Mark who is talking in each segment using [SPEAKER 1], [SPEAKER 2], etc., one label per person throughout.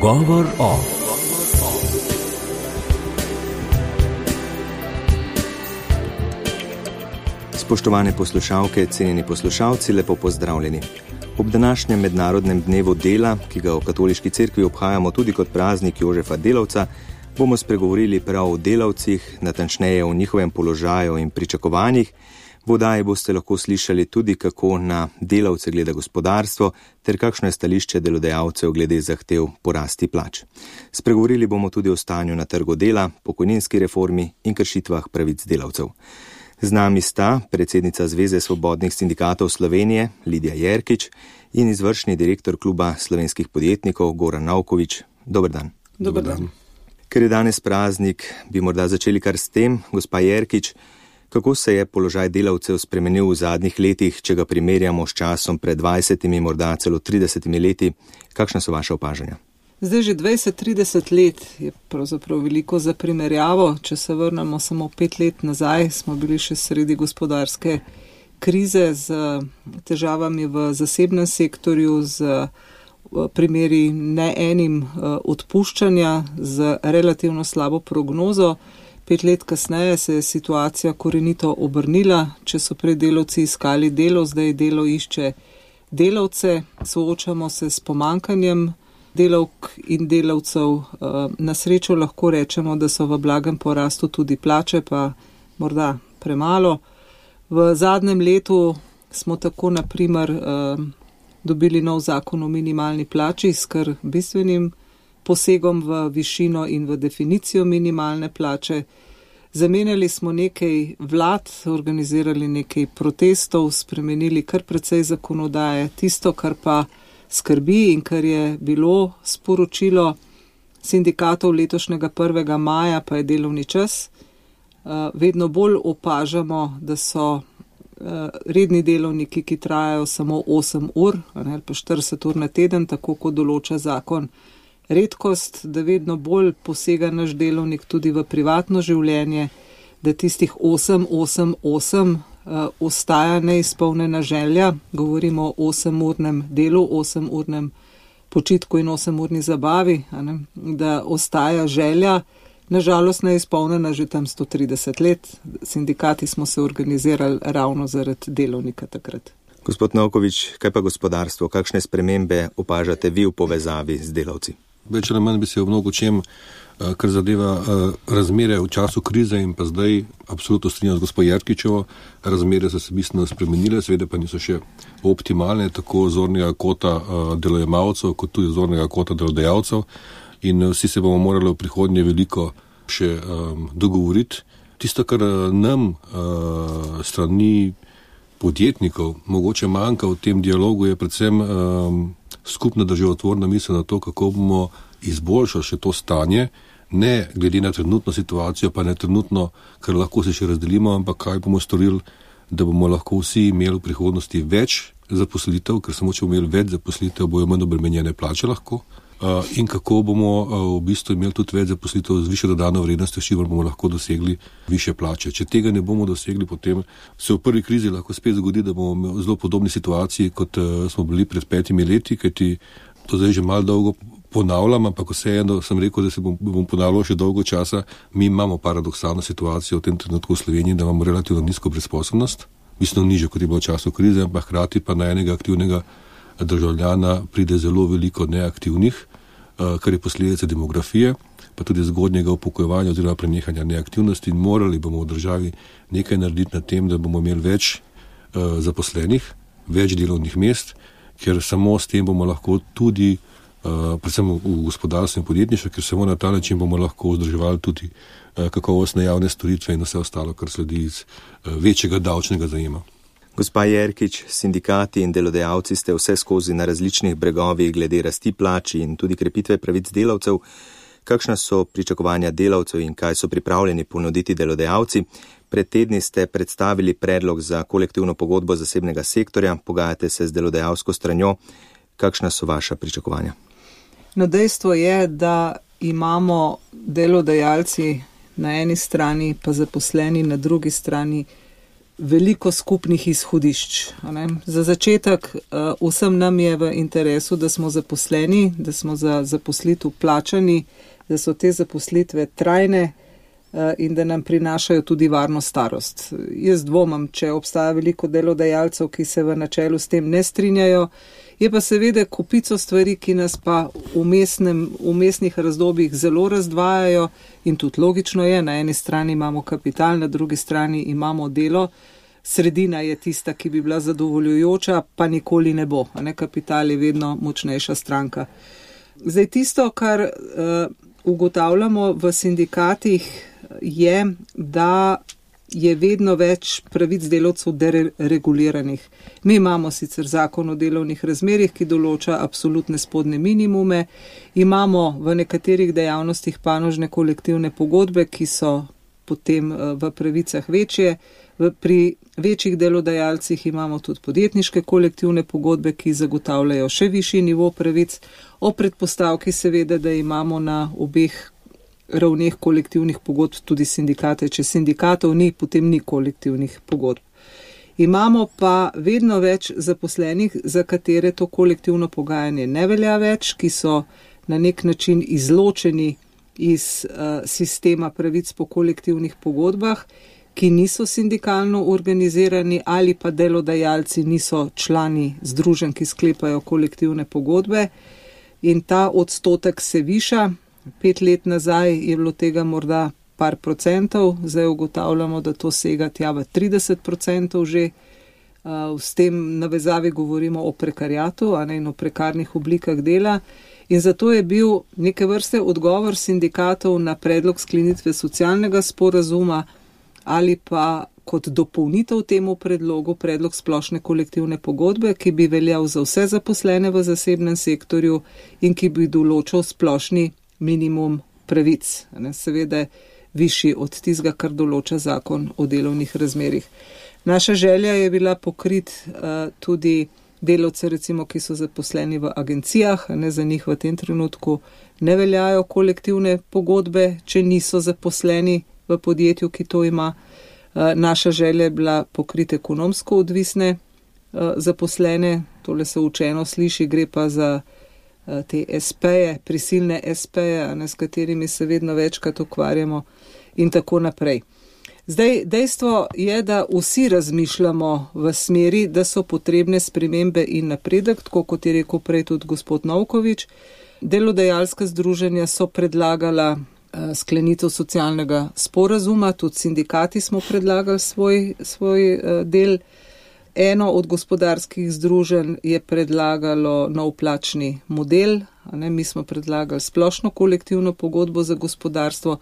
[SPEAKER 1] Pogovor o. Spoštovane poslušalke, cenjeni poslušalci, lepo pozdravljeni. Ob današnjem mednarodnem dnevu dela, ki ga v katoliški cerkvi obhajamo tudi kot praznik Jožefa Delavca, bomo spregovorili prav o delavcih, natančneje o njihovem položaju in pričakovanjih. V oddaji boste lahko slišali tudi, kako na delavce gleda gospodarstvo, ter kakšno je stališče delodajalcev glede zahtev po rasti plač. Spregovorili bomo tudi o stanju na trgu dela, pokojninski reformi in kršitvah pravic delavcev. Z nami sta predsednica Zveze svobodnih sindikatov Slovenije Lidija Jerkič in izvršni direktor Kluba slovenskih podjetnikov Goran Navković. Dober dan.
[SPEAKER 2] Dober dan.
[SPEAKER 1] Ker je danes praznik, bi morda začeli kar s tem, gospa Jerkič, kako se je položaj delavcev spremenil v zadnjih letih, če ga primerjamo s časom pred 20, morda celo 30 leti. Kakšna so vaše opažanja?
[SPEAKER 2] Zdaj že 20-30 let je pravzaprav veliko za primerjavo. Če se vrnemo samo 5 let nazaj, smo bili še sredi gospodarske krize z težavami v zasebnem sektorju, z primeri ne enim odpuščanja, z relativno slabo prognozo. 5 let kasneje se je situacija korenito obrnila. Če so prej delavci iskali delo, zdaj delo išče delavce. Soočamo se s pomanjkanjem delavk in delavcev. Na srečo lahko rečemo, da so v blagem porastu tudi plače, pa morda premalo. V zadnjem letu smo tako na primer dobili nov zakon o minimalni plači s kar bistvenim posegom v višino in v definicijo minimalne plače. Zamenjali smo nekaj vlad, organizirali nekaj protestov, spremenili kar precej zakonodaje. Tisto, kar pa skrbi in kar je bilo sporočilo sindikatov letošnjega 1. maja, pa je delovni čas. Vedno bolj opažamo, da so redni delovniki, ki trajajo samo 8 ur, ali pa 40 ur na teden, tako kot določa zakon, redkost, da vedno bolj posega naš delovnik tudi v privatno življenje, da tistih 8 ostaja neizpolnjena želja. Govorimo o 8-urnem delu, 8-urnem počitku in 8-urni zabavi, da ostaja želja, nažalost neizpolnjena že tam 130 let. Sindikati smo se organizirali ravno zaradi delovnika takrat.
[SPEAKER 1] Gospod Navković, kaj pa gospodarstvo? Kakšne spremembe opažate vi v povezavi z delavci?
[SPEAKER 3] Več ali manj bi se v mnogo čem, kar zadeva razmere v času krize in pa zdaj absolutno strinjam z gospod Jerkičevo. Razmere so se bistveno spremenile, seveda pa niso še optimalne, tako zornega kota delojemalcev, kot tudi zornega kota delodajalcev. In vsi se bomo morali v prihodnje veliko še dogovoriti. Tisto, kar nam strani podjetnikov mogoče manjka v tem dialogu, je predvsem skupna državotvorna misel na to, kako bomo izboljšali še to stanje, ne glede na trenutno situacijo, pa ne trenutno, kar lahko se še razdelimo, ampak kaj bomo storili, da bomo lahko vsi imeli v prihodnosti več zaposlitev, ker samo če bomo imeli več zaposlitev, bojo manj obremenjene plače lahko. In kako bomo v bistvu imeli tudi več zaposlitev z višjo dodano vrednostjo, s čimer bomo lahko dosegli višje plače. Če tega ne bomo dosegli, potem se v prvi krizi lahko spet zgodi, da bomo v zelo podobni situaciji, kot smo bili pred 5 leti, kajti to zdaj že malo dolgo ponavljam, ampak vseeno sem rekel, da se bom ponavljal še dolgo časa. Mi imamo paradoksalno situacijo v tem trenutku v Sloveniji, da imamo relativno nizko brezposelnost, mislim nižjo, kot je bilo v času krize, ampak hkrati pa na enega aktivnega državljana pride zelo veliko neaktivnih, kar je posledica demografije, pa tudi zgodnjega upokojevanja oziroma prenehanja neaktivnosti, in morali bomo v državi nekaj narediti na tem, da bomo imeli več zaposlenih, več delovnih mest, ker samo s tem bomo lahko tudi, predvsem v gospodarstvu in podjetništvu, ker samo na ta način bomo lahko vzdrževali tudi kakovostne javne storitve in vse ostalo, kar sledi iz večjega davčnega zajema.
[SPEAKER 1] Gospa Jerkič, sindikati in delodajalci ste vse skozi na različnih bregovih glede rasti plač in tudi krepitve pravic delavcev. Kakšna so pričakovanja delavcev in kaj so pripravljeni ponuditi delodajalci? Pred tedni ste predstavili predlog za kolektivno pogodbo zasebnega sektorja, pogajate se z delodajalsko stranjo. Kakšna so vaša pričakovanja?
[SPEAKER 2] No, dejstvo je, da imamo delodajalci na eni strani, pa zaposleni na drugi strani veliko skupnih izhodišč. Za začetek vsem nam je v interesu, da smo zaposleni, da smo za zaposlitev plačani, da so te zaposlitve trajne in da nam prinašajo tudi varno starost. Jaz dvomam, če obstaja veliko delodajalcev, ki se v načelu s tem ne strinjajo, je pa seveda kopico stvari, ki nas pa v mestnih razdobjih zelo razdvajajo in tudi logično je, na eni strani imamo kapital, na drugi strani imamo delo, sredina je tista, ki bi bila zadovoljujoča, pa nikoli ne bo, kapital je vedno močnejša stranka. Zdaj tisto, kar ugotavljamo v sindikatih, je, da je vedno več pravic delavcev dereguliranih. Mi imamo sicer zakon o delovnih razmerjih, ki določa absolutne spodnje minimume, imamo v nekaterih dejavnostih panožne kolektivne pogodbe, ki so potem v pravicah večje, pri večjih delodajalcih imamo tudi podjetniške kolektivne pogodbe, ki zagotavljajo še višji nivo pravic, o predpostavki seveda, da imamo na obeh ravneh kolektivnih pogodb tudi sindikate. Če sindikatov ni, potem ni kolektivnih pogodb. Imamo pa vedno več zaposlenih, za katere to kolektivno pogajanje ne velja več, ki so na nek način izločeni iz sistema pravic po kolektivnih pogodbah, ki niso sindikalno organizirani ali pa delodajalci niso člani združenj, ki sklepajo kolektivne pogodbe. In ta odstotek se viša. 5 let nazaj je bilo tega morda par procentov, zdaj ugotavljamo, da to sega tja v 30% že. S tem navezavi govorimo o prekariatu, in o prekarnih oblikah dela. In zato je bil neke vrste odgovor sindikatov na predlog sklenitve socialnega sporazuma ali pa kot dopolnitev temu predlogu predlog splošne kolektivne pogodbe, ki bi veljal za vse zaposlene v zasebnem sektorju in ki bi določal splošni minimum pravic, seveda višji od tistega, kar določa zakon o delovnih razmerjih. Naša želja je bila pokriti tudi delavce, recimo, ki so zaposleni v agencijah, za njih v tem trenutku ne veljajo kolektivne pogodbe, če niso zaposleni v podjetju, ki to ima. Naša želja je bila pokriti ekonomsko odvisne zaposlene, tole se učeno sliši, gre pa za te SP-je, prisilne SP-je, s katerimi se vedno večkrat ukvarjamo in tako naprej. Zdaj, dejstvo je, da vsi razmišljamo v smeri, da so potrebne spremembe in napredek, tako kot je rekel prej tudi gospod Novkovič. Delodajalska združenja so predlagala sklenitev socialnega sporazuma, tudi sindikati smo predlagali svoj del. Eno od gospodarskih združenj je predlagalo nov plačni model, mi smo predlagali splošno kolektivno pogodbo za gospodarstvo.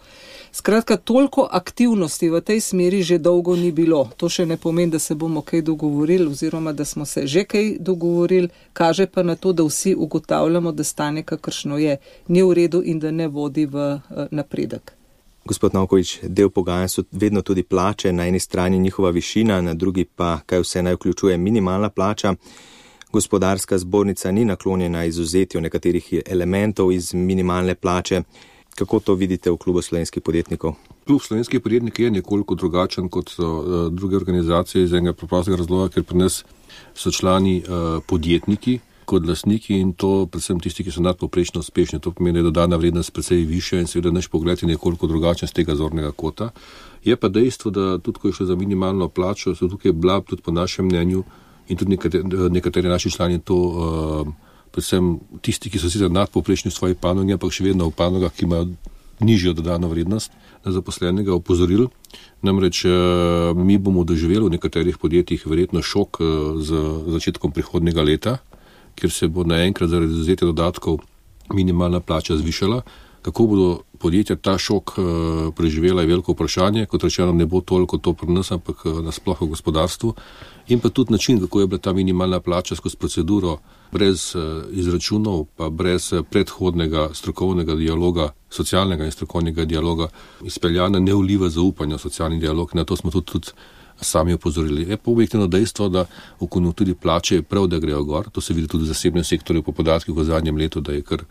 [SPEAKER 2] Skratka, toliko aktivnosti v tej smeri že dolgo ni bilo. To še ne pomeni, da se bomo kaj dogovorili oziroma da smo se že kaj dogovorili, kaže pa na to, da vsi ugotavljamo, da stanje kakršno je, ni v redu in da ne vodi v napredek.
[SPEAKER 1] Gospod Novkovič, del pogajanj so vedno tudi plače, na eni strani njihova višina, na drugi pa kaj vse naj vključuje minimalna plača. Gospodarska zbornica ni naklonjena izuzetju nekaterih elementov iz minimalne plače. Kako to vidite v klubu slovenskih podjetnikov?
[SPEAKER 3] Klub slovenskih podjetnikov je nekoliko drugačen kot druge organizacije iz enega preprostega razloga, ker pri nas so člani podjetniki kot lastniki in to predvsem tisti, ki so nadpovprečno uspešni. To pomeni, da je dodana vrednost precej višja in seveda naš pogled je nekoliko drugačen z tega zornega kota. Je pa dejstvo, da tudi ko je šlo za minimalno plačo, so tukaj bila tudi po našem mnenju in tudi nekateri naši člani to, predvsem tisti, ki so sicer nadpovprečni v svoji panogi, ampak še vedno v panogah, ki imajo nižjo dodano vrednost na zaposlenega, opozorili. Namreč mi bomo doživeli v nekaterih podjetjih verjetno šok z začetkom prihodnjega leta, kjer se bo naenkrat zaradi izvzetja dodatkov minimalna plača zvišala. Kako bodo podjetja ta šok preživela je veliko vprašanje, kot rečeno ne bo toliko to pri nas, ampak nasploh v gospodarstvu. In pa tudi način, kako je bila ta minimalna plača skozi proceduro brez izračunov, pa brez predhodnega strokovnega dialoga, socialnega in strokovnega dialoga izpeljana, ne vliva zaupanja v socialni dialog. Na to smo tudi sami opozorili. Je pa objektivno dejstvo, da v konjunkturi plače je prav, da grejo gor. To se vidi tudi v zasebnem sektorju po podatkih v zadnjem letu, da je kar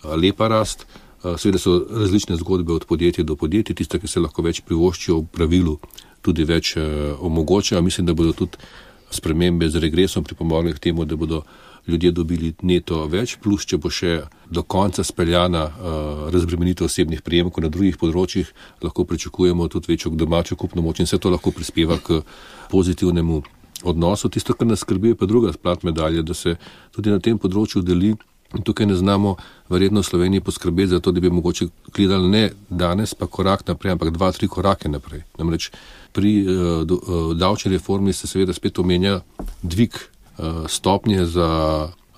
[SPEAKER 3] lepa rast. Seveda so različne zgodbe od podjetja do podjetja. Tiste, ki se lahko več privoščijo v pravilu, tudi več omogoča. Mislim, da bodo tudi spremembe z regresom pripomogli k temu, da bodo ljudje dobili neto več, plus če bo še do konca speljana razbremenitev osebnih prejemkov na drugih področjih, lahko pričakujemo tudi večjo domačo kupno moč in vse to lahko prispeva k pozitivnemu odnosu. Tisto, kar nas skrbi, je pa druga plat medalje, da se tudi na tem področju deli in tukaj ne znamo verjetno v Sloveniji poskrbeti za to, da bi mogoče gledali ne danes pa korak naprej, ampak 2-3 korake naprej. Namreč pri davčni reformi se seveda spet omenja dvig stopnje za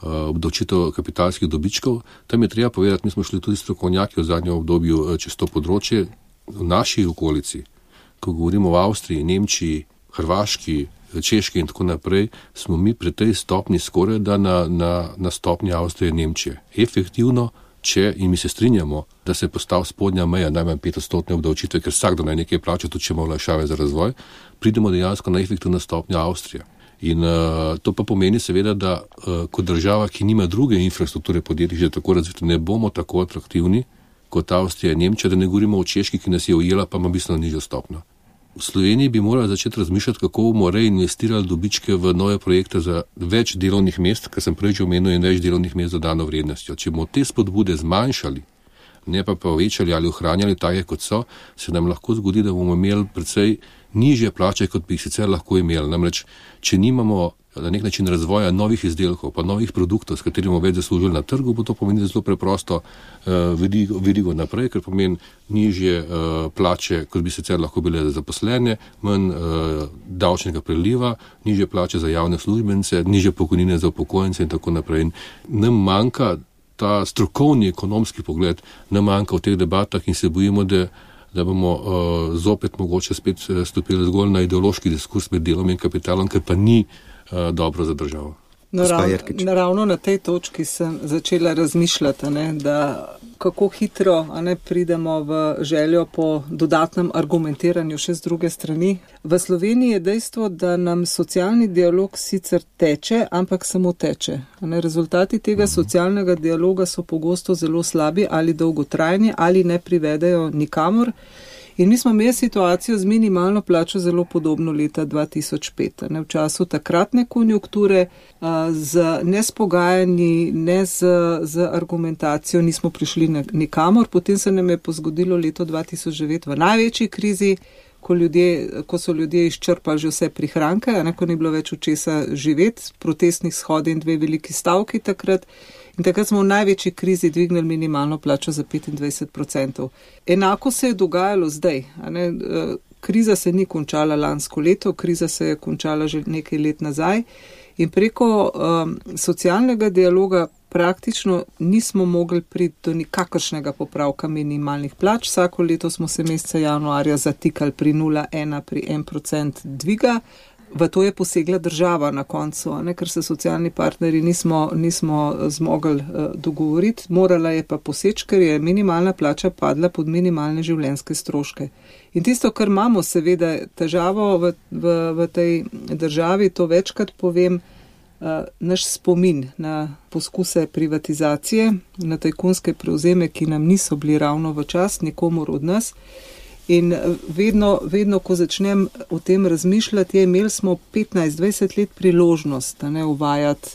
[SPEAKER 3] obdavčitev kapitalskih dobičkov. Tam je treba povedati, mi smo šli tudi strokovnjaki v zadnjem obdobju čez to področje v naši okolici, ko govorimo o Avstriji, Nemčiji, Hrvaški, Češki in tako naprej, smo mi pri tej stopni skoraj da na stopni Avstrije in Nemčije. Efektivno, če, in mi se strinjamo, da se postavi spodnja meja najmanj 5% obdavčitve, ker vsakdo naj nekaj plača, tudi če ima olajšave za razvoj, pridemo dejansko na efektivno stopnjo Avstrije. In to pa pomeni seveda, da kot država, ki nima druge infrastrukture podjetij, že tako razvite, ne bomo tako atraktivni kot Avstrija in Nemčija, da ne govorimo o Češki, ki nas je ujela, pa ima bistveno nižjo stopnjo. V Sloveniji bi morali začeti razmišljati, kako bomo reinvestirali dobičke v nove projekte za več delovnih mest, kar sem prej že omenil, in več delovnih mest z dodano vrednostjo. Če bomo te spodbude zmanjšali, ne pa povečali ali ohranjali take, kot so, se nam lahko zgodi, da bomo imeli precej nižje plače, kot bi jih sicer lahko imeli. Namreč, če nimamo na nek način razvoja novih izdelkov, pa novih produktov, s katerimi bomo več zaslužili na trgu, bo to pomeni zelo preprosto verigo naprej, ker pomeni nižje plače, kot bi sicer lahko bile za zaposlene, manj davčnega priliva, nižje plače za javne službence, nižje pokojnine za upokojence in tako naprej. In nam manjka ta strokovni ekonomski pogled, nam manjka v teh debatah in se bojimo, da bomo zopet mogoče spet stopili zgolj na ideološki diskurs med delom in kapitalom, ker pa ni dobro za državo.
[SPEAKER 2] Ravno na tej točki sem začela razmišljati, da kako hitro pridemo v željo po dodatnem argumentiranju še z druge strani. V Sloveniji je dejstvo, da nam socialni dialog sicer teče, ampak samo teče. Rezultati tega socialnega dialoga so pogosto zelo slabi ali dolgotrajni ali ne privedejo nikamor. In mi smo imeli situacijo z minimalno plačo zelo podobno leta 2005. V času takratne konjunkture z nespogajanji, ne z argumentacijo nismo prišli nikamor. Potem se nam je pozgodilo leto 2009 v največji krizi, ko so ljudje izčrpali že vse prihranke, ko ni bilo več od česa živeti, protestnih shodov in 2 veliki stavki takrat. In takrat smo v največji krizi dvignili minimalno plačo za 25%. Enako se je dogajalo zdaj. Kriza se ni končala lansko leto, kriza se je končala že nekaj let nazaj in preko socialnega dialoga praktično nismo mogli priti do nikakršnega popravka minimalnih plač. Vsako leto smo se meseca januarja zatikali pri 0,1, pri 1% dviga. V to je posegla država na koncu, ker se socialni partnerji nismo zmogli dogovoriti. Morala je pa poseči, ker je minimalna plača padla pod minimalne življenjske stroške. In tisto, kar imamo seveda težavo v tej državi, to večkrat povem, naš spomin na poskuse privatizacije, na tajkunske prevzeme, ki nam niso bili ravno v čast nikomur od nas. In vedno, ko začnem o tem razmišljati, imeli smo 15-20 let priložnost, uvajati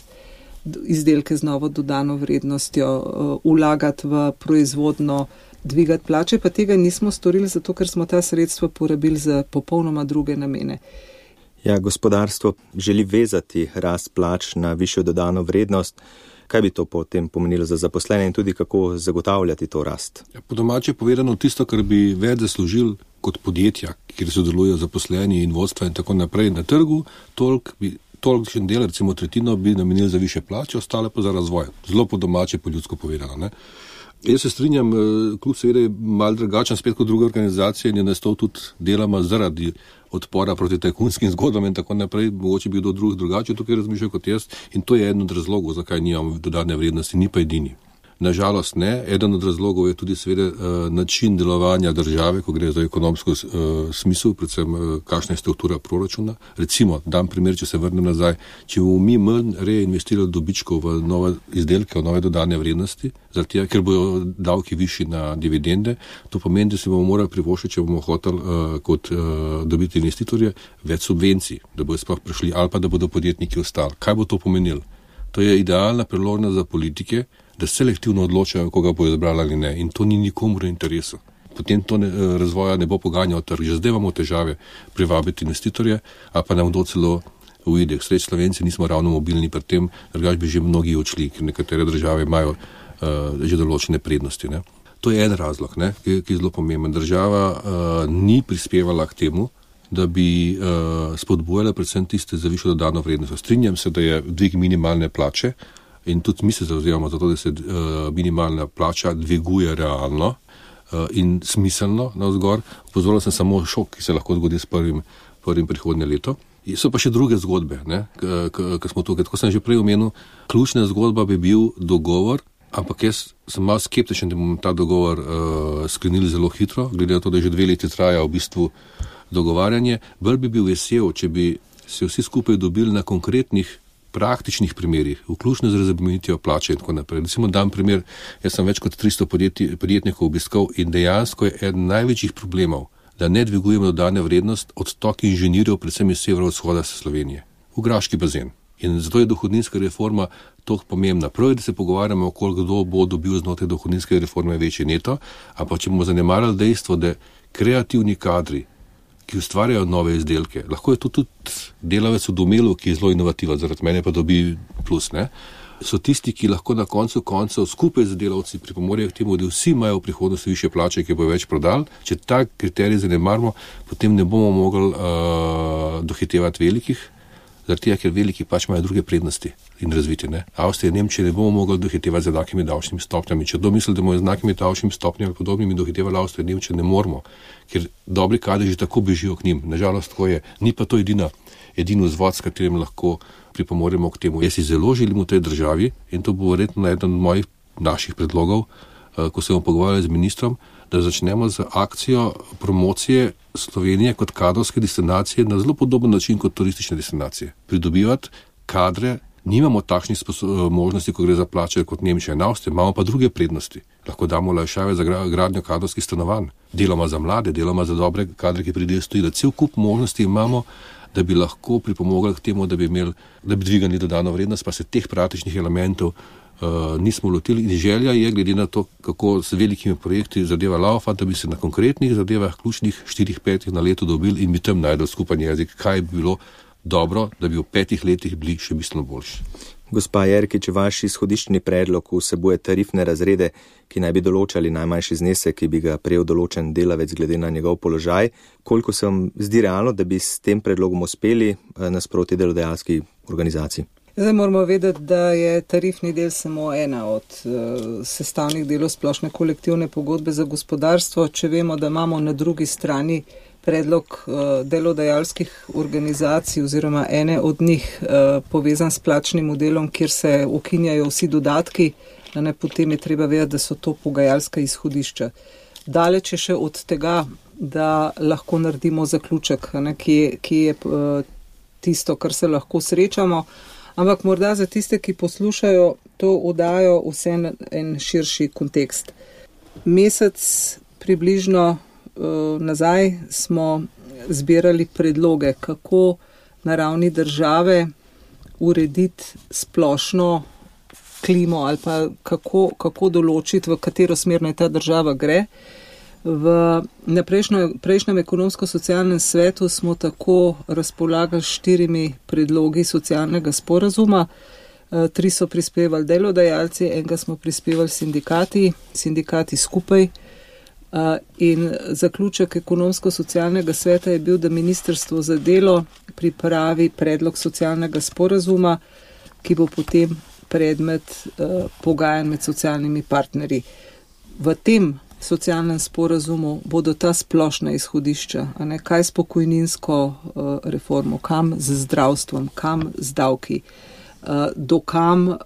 [SPEAKER 2] izdelke z novo dodano vrednostjo, vlagati v proizvodno, dvigati plače, pa tega nismo storili, zato ker smo ta sredstva porabili za popolnoma druge namene.
[SPEAKER 1] Ja, gospodarstvo želi vezati rast plač na višjo dodano vrednost. Kaj bi to potem pomenilo za zaposlene in tudi kako zagotavljati to rast?
[SPEAKER 3] Po domače povedano, tisto, kar bi več zaslužili kot podjetja, kjer sodelujejo zaposleni in vodstva in tako naprej na trgu, tolikšen del, recimo tretjino, bi namenili za više plače, ostale pa za razvoj. Zelo po domače, po ljudsko povedano. Ne? Jaz se strinjam, klub seveda je malo drugačen spet kot druge organizacije in je nastal tudi deloma zaradi odpora proti tajkunskim zgodbam in tako naprej, mogoče bi kdo drug drugače tukaj razmišljal kot jaz in to je eden od razlogov, zakaj nimamo dodane vrednosti, ni pa edini. Nažalost ne. Eden od razlogov je tudi seveda način delovanja države, ko gre za ekonomsko smisel, predvsem kakšna je struktura proračuna. Recimo, dam primer, če se vrnem nazaj, če bomo mi manj reinvestirali dobičkov v nove izdelke, v nove dodane vrednosti, zato ker bojo davki višji na dividende, to pomeni, da si bomo morali privoščiti, če bomo hoteli kot dobiti investitorje, več subvencij, da bodo sploh prišli ali pa da bodo podjetniki ostali. Kaj bo to pomenilo? To je idealna priložnost za politike, da selektivno odločajo, koga bojo izbrali ali ne. In to ni nikomu v interesu. Potem to razvoja ne bo poganjal trg. Že zdaj imamo težave privabiti investitorje, a pa nam kdo celo uide. Sreč Slovenci nismo ravno mobilni pri tem, drugače bi že mnogi odšli, ker nekatere države imajo že določene prednosti. Ne. To je en razlog, ne, ki je zelo pomemben. Država ni prispevala k temu, da bi spodbujala predvsem tiste za višjo dodano vrednost. Strinjam se, da je dvig minimalne plače in tudi mi se zavzemamo za to, da se minimalna plača dviguje realno in smiselno navzgor. Opozoril sem samo šok, ki se lahko zgodi s prvim prihodnje leto. So pa še druge zgodbe, ki smo tukaj. Tako sem že prej omenil, ključna zgodba bi bil dogovor, ampak jaz sem malo skeptičen, da bomo ta dogovor sklenili zelo hitro, glede na to, da že 2 leti traja v bistvu dogovarjanje. Bolj bi bil vesel, če bi se vsi skupaj dobili na konkretnih praktičnih primerih, vključno z razbremenitvijo plače in tako naprej. Recimo dam primer, jaz sem več kot 300 podjetnikov obiskal in dejansko je eden največjih problemov, da ne dvigujemo dodane vrednost odtok inženirjev, predvsem iz severovzhoda Slovenije, v Graški bazen. In zato je dohodninska reforma toliko pomembna. Prav je, da se pogovarjamo, kdo bo dobil znotraj dohodninske reforme večji neto, ampak če bomo zanemarjali dejstvo, da kreativni kadri, ki ustvarjajo nove izdelke, lahko je to tudi delavec v domelu, ki je zelo inovativen, zaradi mene pa dobi plus, ne? So tisti, ki lahko na koncu koncev skupaj z delavci pripomorejo k temu, da vsi imajo v prihodnosti višje plače, ki bojo več prodali. Če ta kriterij zanemarimo, potem ne bomo mogli dohitevati velikih, zaradi tega, ker veliki pač imajo druge prednosti in razviti. Ne? Avstrija in Nemčija ne bomo mogli dohitevati z enakimi davčnimi stopnjami. Če misli, da bomo z enakimi davčnimi stopnjami ali podobnimi dohitevali Avstrijo in Nemčijo, ne moramo, ker dobri kadri že tako bežijo k njim. Nažalost, tako je. Ni pa to edini vzvod, s katerim lahko pripomoremo k temu. Jaz si zelo želim v tej državi in to bo verjetno eden od naših predlogov, ko se bomo pogovarjali z ministrom, da začnemo z akcijo promocije Slovenije kot kadrovske destinacije na zelo podoben način kot turistične destinacije. Pridobivati kadre, nimamo takšnih možnosti, ko gre za plače kot Nemčija in Avstrija, imamo pa druge prednosti. Lahko damo olajšave za gradnjo kadrovskih stanovanj, deloma za mlade, deloma za dobre kadre, ki pridejo iz tujine. Cel kup možnosti imamo, da bi lahko pripomogli k temu, da bi dvigali dodano vrednost, pa se teh praktičnih elementov nismo lotili. In želja je, glede na to, kako s velikimi projekti zadeva laufa, da bi se na konkretnih zadevah, ključnih 4-5 na leto dobili in bi tam najdel skupen jezik, kaj bi bilo dobro, da bi v 5 letih bili še bistveno boljši.
[SPEAKER 1] Gospa Jerkič, vaš izhodiščni predlog vsebuje tarifne razrede, ki naj bi določali najmanjši znesek, ki bi ga prejel določen delavec glede na njegov položaj. Koliko se vam zdi realno, da bi s tem predlogom uspeli nasproti delodajalski organizaciji?
[SPEAKER 2] Zdaj moramo vedeti, da je tarifni del samo ena od sestavnih delov splošne kolektivne pogodbe za gospodarstvo. Če vemo, da imamo na drugi strani predlog delodajalskih organizacij oziroma ene od njih povezan s plačnim modelom, kjer se ukinjajo vsi dodatki, potem je treba vedeti, da so to pogajalska izhodišča. Daleč je še od tega, da lahko naredimo zaključek, ki je tisto, kar se lahko srečamo. Ampak morda za tiste, ki poslušajo, to oddajo vse en širši kontekst. Mesec približno nazaj smo zbirali predloge, kako na ravni države urediti splošno klimo ali pa kako določiti, v katero smer naj ta država gre. Na prejšnjem ekonomsko-socialnem svetu smo tako razpolagali 4 predlogi socialnega sporazuma. 3 so prispevali delodajalci, enega smo prispevali sindikati skupaj. In zaključek ekonomsko-socialnega sveta je bil, da Ministrstvo za delo pripravi predlog socialnega sporazuma, ki bo potem predmet pogajanj med socialnimi partnerji. V tem socialnem sporazumu bodo ta splošna izhodišča, kaj s pokojninsko reformo, kam z zdravstvom, kam z davki, dokam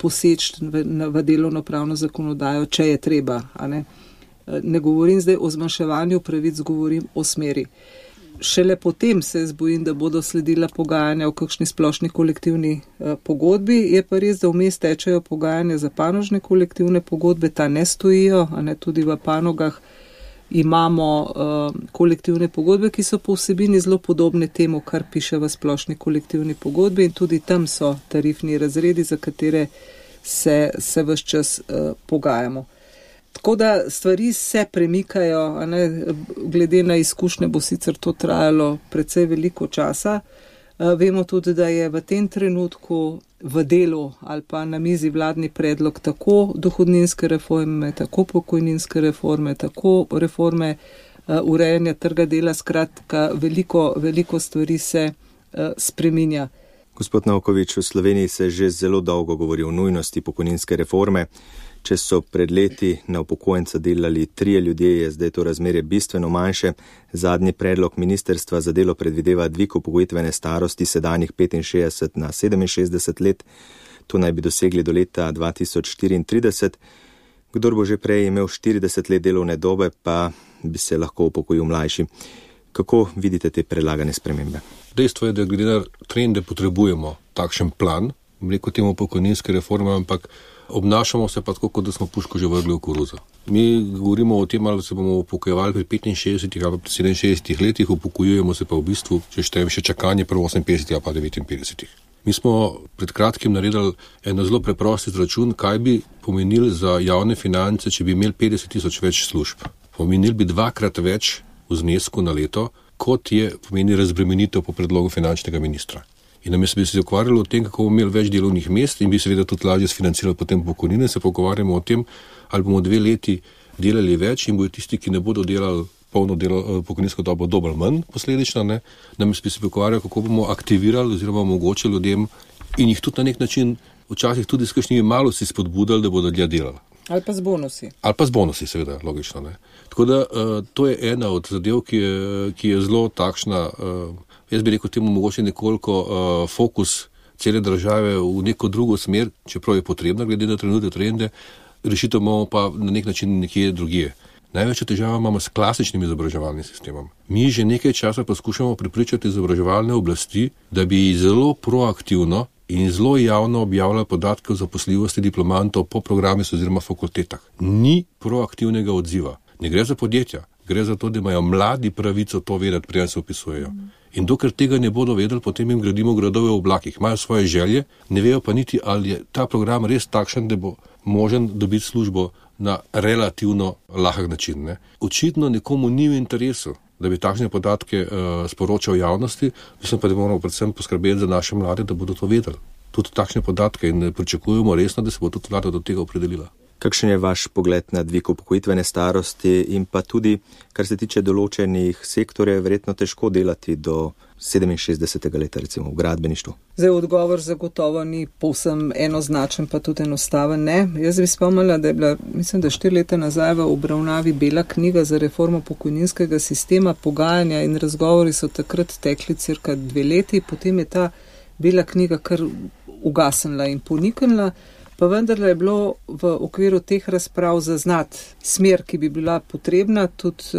[SPEAKER 2] poseči v delovnopravno zakonodajo, če je treba. Ne govorim zdaj o zmanjševanju pravic, govorim o smeri. Šele potem se bojim, da bodo sledila pogajanja o kakšni splošni kolektivni pogodbi. Je pa res, da vmes tečejo pogajanja za panožne kolektivne pogodbe, ta ne stojijo, tudi v panogah imamo kolektivne pogodbe, ki so po vsebini zelo podobne temu, kar piše v splošni kolektivni pogodbi, in tudi tam so tarifni razredi, za katere se vse čas pogajamo. Tako da stvari se premikajo, glede na izkušnje bo sicer to trajalo precej veliko časa. Vemo tudi, da je v tem trenutku v delu ali pa na mizi vladni predlog tako dohodninske reforme, tako pokojninske reforme, tako reforme urejanja trga dela, skratka veliko stvari se spreminja.
[SPEAKER 1] Gospod Novkovič, v Sloveniji se že zelo dolgo govori o nujnosti pokojninske reforme. Če so pred leti na upokojenca delali 3 ljudje, je zdaj to razmerje bistveno manjše. Zadnji predlog Ministrstva za delo predvideva dvig upokojitvene starosti sedanjih 65 na 67 let. To naj bi dosegli do leta 2034. Kdor bo že prej imel 40 let delovne dobe, pa bi se lahko upokojil mlajši. Kako vidite te predlagane spremembe?
[SPEAKER 3] Dejstvo je, da glede na trende potrebujemo takšen plan, rekel temu pokojninske reforme, ampak obnašamo se pa tako, kot da smo puško že vrgli v koruzo. Mi govorimo o tem, ali se bomo upokojevali pri 65 ali pri 67 letih, upokojujemo se pa v bistvu, če štejem še čakanje pri 58 ali pa 59. Mi smo pred kratkim naredili eno zelo preprost izračun, kaj bi pomenili za javne finance, če bi imeli 50 tisoč več služb. Pomenili bi 2-krat več v znesku na leto, kot je pomeni razbremenitev po predlogu finančnega ministra. In namesto bi se ukvarjali o tem, kako bomo imeli več delovnih mest in bi seveda tudi lažje sfinancirali potem pokojnine, se pogovarjamo o tem, ali bomo 2 leti delali več in bodo tisti, ki ne bodo delali polno pokojninsko dobo, dobili manj posledično, namesto bi se ukvarjali, kako bomo aktivirali oziroma omogočili ljudem in jih tudi na nek način včasih tudi s kakšnimi malo si spodbudali, da bodo dlje delali.
[SPEAKER 2] Ali pa z bonusi.
[SPEAKER 3] Ali pa z bonusi, seveda, logično. Tako da to je ena od zadev, ki je zelo takšna, jaz bi rekel temu mogoče nekoliko fokus cele države v neko drugo smer, čeprav je potrebna glede na trenutne trende, rešitev imamo pa na nek način nekje drugje. Največja težava imamo s klasičnim izobraževalnim sistemom. Mi že nekaj časa poskušamo prepričati izobraževalne oblasti, da bi zelo proaktivno in zelo javno objavljali podatke o zaposljivosti diplomantov po programih oziroma fakultetah. Ni proaktivnega odziva. Ne gre za podjetja, gre za to, da imajo mladi pravico to vedeti, preden se upisujejo. In dokler tega ne bodo vedeli, potem jim gradimo gradove v oblakih. Imajo svoje želje, ne vejo pa niti, ali je ta program res takšen, da bo možen dobiti službo na relativno lahek način. Očitno nekomu ni v interesu, da bi takšne podatke sporočal javnosti, mislim pa, da moramo predvsem poskrbeti za naše mlade, da bodo to vedeli. Tudi takšne podatke in pričakujemo resno, da se bo tudi vlada do tega opredelila.
[SPEAKER 1] Kakšen je vaš pogled na dvig upokojitvene starosti in pa tudi, kar se tiče določenih sektorjev, verjetno težko delati do 67. leta, recimo v gradbeništvu?
[SPEAKER 2] Zdaj odgovor zagotovo ni povsem enoznačen, pa tudi enostaven ne. Jaz bi spomnila, da je bila, mislim, da 4 leta nazaj v obravnavi bela knjiga za reformo pokojninskega sistema, pogajanja in razgovori so takrat tekli cirka 2 leti, potem je ta bela knjiga kar ugasnila in poniknila. Pa vendarle je bilo v okviru teh razprav zaznati smer, ki bi bila potrebna. Tudi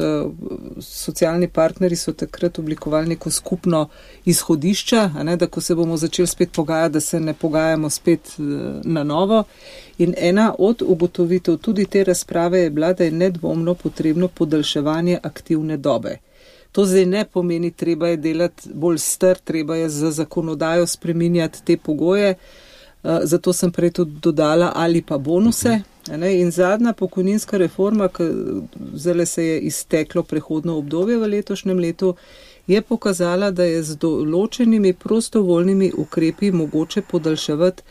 [SPEAKER 2] socialni partneri so takrat oblikovali neko skupno izhodišče, da ko se bomo začeli spet pogajati, da se ne pogajamo spet na novo. In ena od ugotovitev tudi te razprave je bila, da je nedvomno potrebno podaljševanje aktivne dobe. To zdaj ne pomeni, treba je delati bolj star, treba je za zakonodajo spreminjati te pogoje. Zato sem prej tudi dodala ali pa bonuse. In zadnja pokojninska reforma, ki zdaj se je izteklo prehodno obdobje v letošnjem letu, je pokazala, da je z določenimi prostovoljnimi ukrepi mogoče podaljševati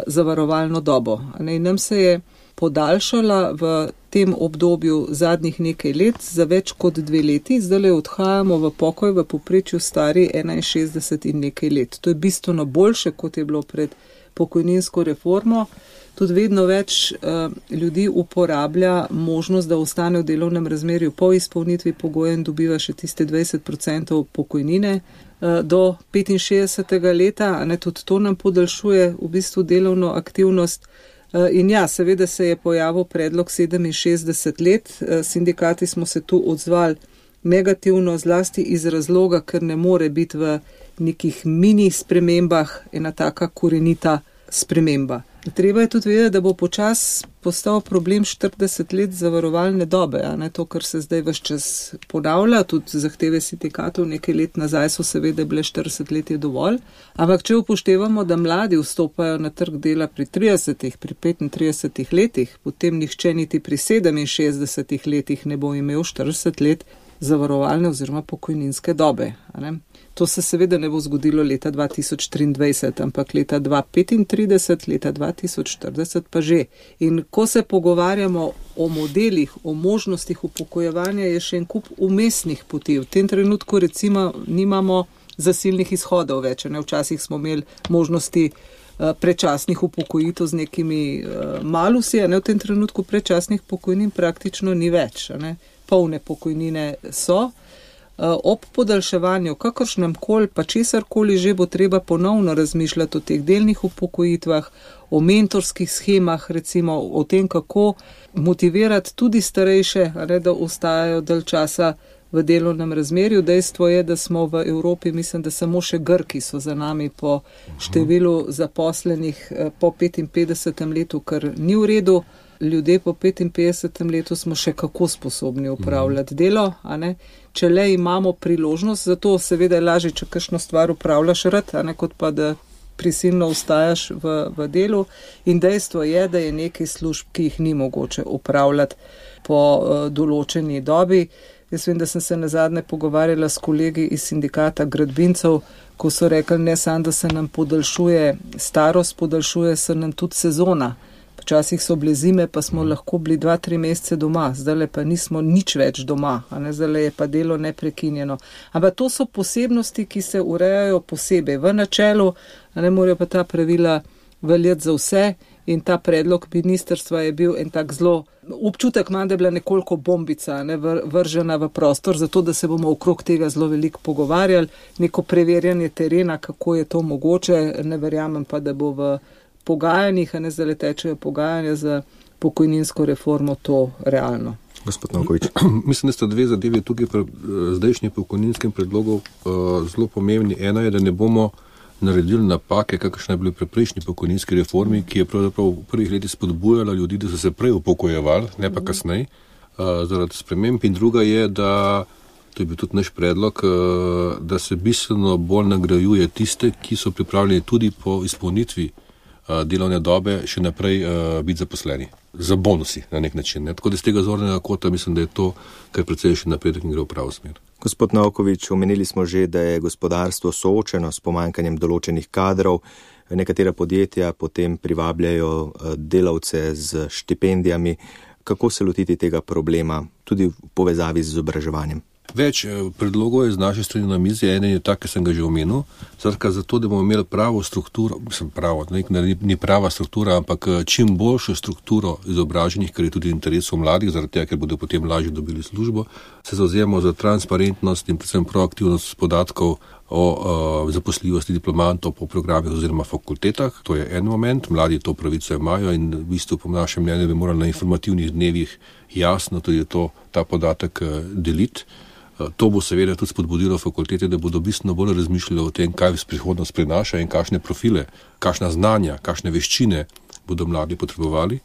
[SPEAKER 2] zavarovalno dobo. In nam se je podaljšala v tem obdobju zadnjih nekaj let za več kot 2 leti. Zdaj odhajamo v pokoj v povprečju stari 61 in nekaj let. To je bistveno boljše, kot je bilo pred pokojninsko reformo. Tudi vedno več ljudi uporablja možnost, da ostane v delovnem razmerju po izpolnitvi pogoja in dobiva še tiste 20% pokojnine. do 65. leta, tudi to nam podaljšuje v bistvu delovno aktivnost. In ja, seveda se je pojavil predlog 67 let, sindikati smo se tu odzvali negativno, zlasti iz razloga, ker ne more biti v nekih mini spremembah ena taka korenita sprememba. Treba je tudi vedeti, da bo počas postal problem 40 let zavarovalne dobe, to, kar se zdaj ves čas ponavlja, tudi zahteve sindikatov nekaj let nazaj so seveda bile 40 let je dovolj, ampak če upoštevamo, da mladi vstopajo na trg dela pri 30, pri 35 letih, potem nihče niti pri 67 letih ne bo imel 40 let zavarovalne oziroma pokojninske dobe. To se seveda ne bo zgodilo leta 2023, ampak leta 2035, leta 2040 pa že. In ko se pogovarjamo o modelih, o možnostih upokojevanja, je še en kup umestnih poti. V tem trenutku recimo nimamo zasilnih izhodov več. Včasih smo imeli možnosti predčasnih upokojitev z nekimi malusi, v tem trenutku predčasnih pokojnin praktično ni več. Polne pokojnine so. Ob podaljševanju kakršnem koli pa česarkoli že bo treba ponovno razmišljati o teh delnih upokojitvah, o mentorskih schemah, recimo o tem, kako motivirati tudi starejše, da ostajajo dalj časa v delovnem razmerju. Dejstvo je, da smo v Evropi, mislim, da samo še Grki so za nami po številu zaposlenih po 55. letu, kar ni v redu. Ljudje po 55. letu smo še kako sposobni upravljati delo, Če le imamo priložnost, zato seveda je lažje, če kakšno stvar upravljaš rad, kot pa da prisilno ostajaš v delu. In dejstvo je, da je nekaj služb, ki jih ni mogoče upravljati po določeni dobi. Jaz vem, da sem se nazadnje pogovarjala s kolegi iz sindikata gradbincev, ko so rekli, ne samo, da se nam podaljšuje starost, podaljšuje se nam tudi sezona. Včasih so bile zime, pa smo lahko bili 2-3 mesece doma, zdaj pa nismo nič več doma, zdaj je pa delo neprekinjeno. Ampak to so posebnosti, ki se urejajo posebej. V načelu ne morajo pa ta pravila veljati za vse in ta predlog ministrstva je bil en tak zelo, občutek manj, da je bila nekoliko bombica, vržena v prostor, zato da se bomo okrog tega zelo veliko pogovarjali, neko preverjanje terena, kako je to mogoče, ne verjamem pa, da bo v pogajanjih, zdaj tečejo pogajanja za pokojninsko reformo, to realno.
[SPEAKER 1] Gospod Novković.
[SPEAKER 3] Mislim, da sta dve zadeve tukaj pri zdajšnjem pokojninskem predlogu zelo pomembni. Ena je, da ne bomo naredili napake, kakršne je bili pri prejšnji pokojninski reformi, ki je pravzaprav v prvih letih spodbujala ljudi, da so se prej upokojevali, ne pa kasneje, zaradi sprememb. In druga je, da, to je bil tudi naš predlog, da se bistveno bolj nagrajuje tiste, ki so pripravljeni tudi po izpolnitvi delovne dobe še naprej biti zaposleni. Za bonusi na nek način. Tako da z tega zornega kota mislim, da je to kar precejšen napredek in gre v pravo smer.
[SPEAKER 1] Gospod Novković, omenili smo že, da je gospodarstvo soočeno s pomanjkanjem določenih kadrov. Nekatera podjetja potem privabljajo delavce z štipendijami. Kako se lotiti tega problema, tudi v povezavi z izobraževanjem?
[SPEAKER 3] Več predlogov je z naše strani na mizi, eden je tak, ki sem ga že omenil, zato, da bomo imeli pravo strukturo, ni prava struktura, ampak čim boljšo strukturo izobraženih, ker je tudi interesov mladih, zaradi tega, ker bodo potem lažje dobili službo, se zavzemamo za transparentnost in predvsem proaktivnost podatkov o zaposljivosti diplomantov po programih oziroma fakultetah. To je en moment, mladi to pravico imajo in v bistvu po našem mnenju bi morali na informativnih dnevih jasno tudi ta podatek deliti. To bo seveda tudi spodbudilo fakultete, da bodo bistveno bolj razmišljali o tem, kaj prihodnost prinaša in kakšne profile, kakšna znanja, kakšne veščine bodo mladi potrebovali.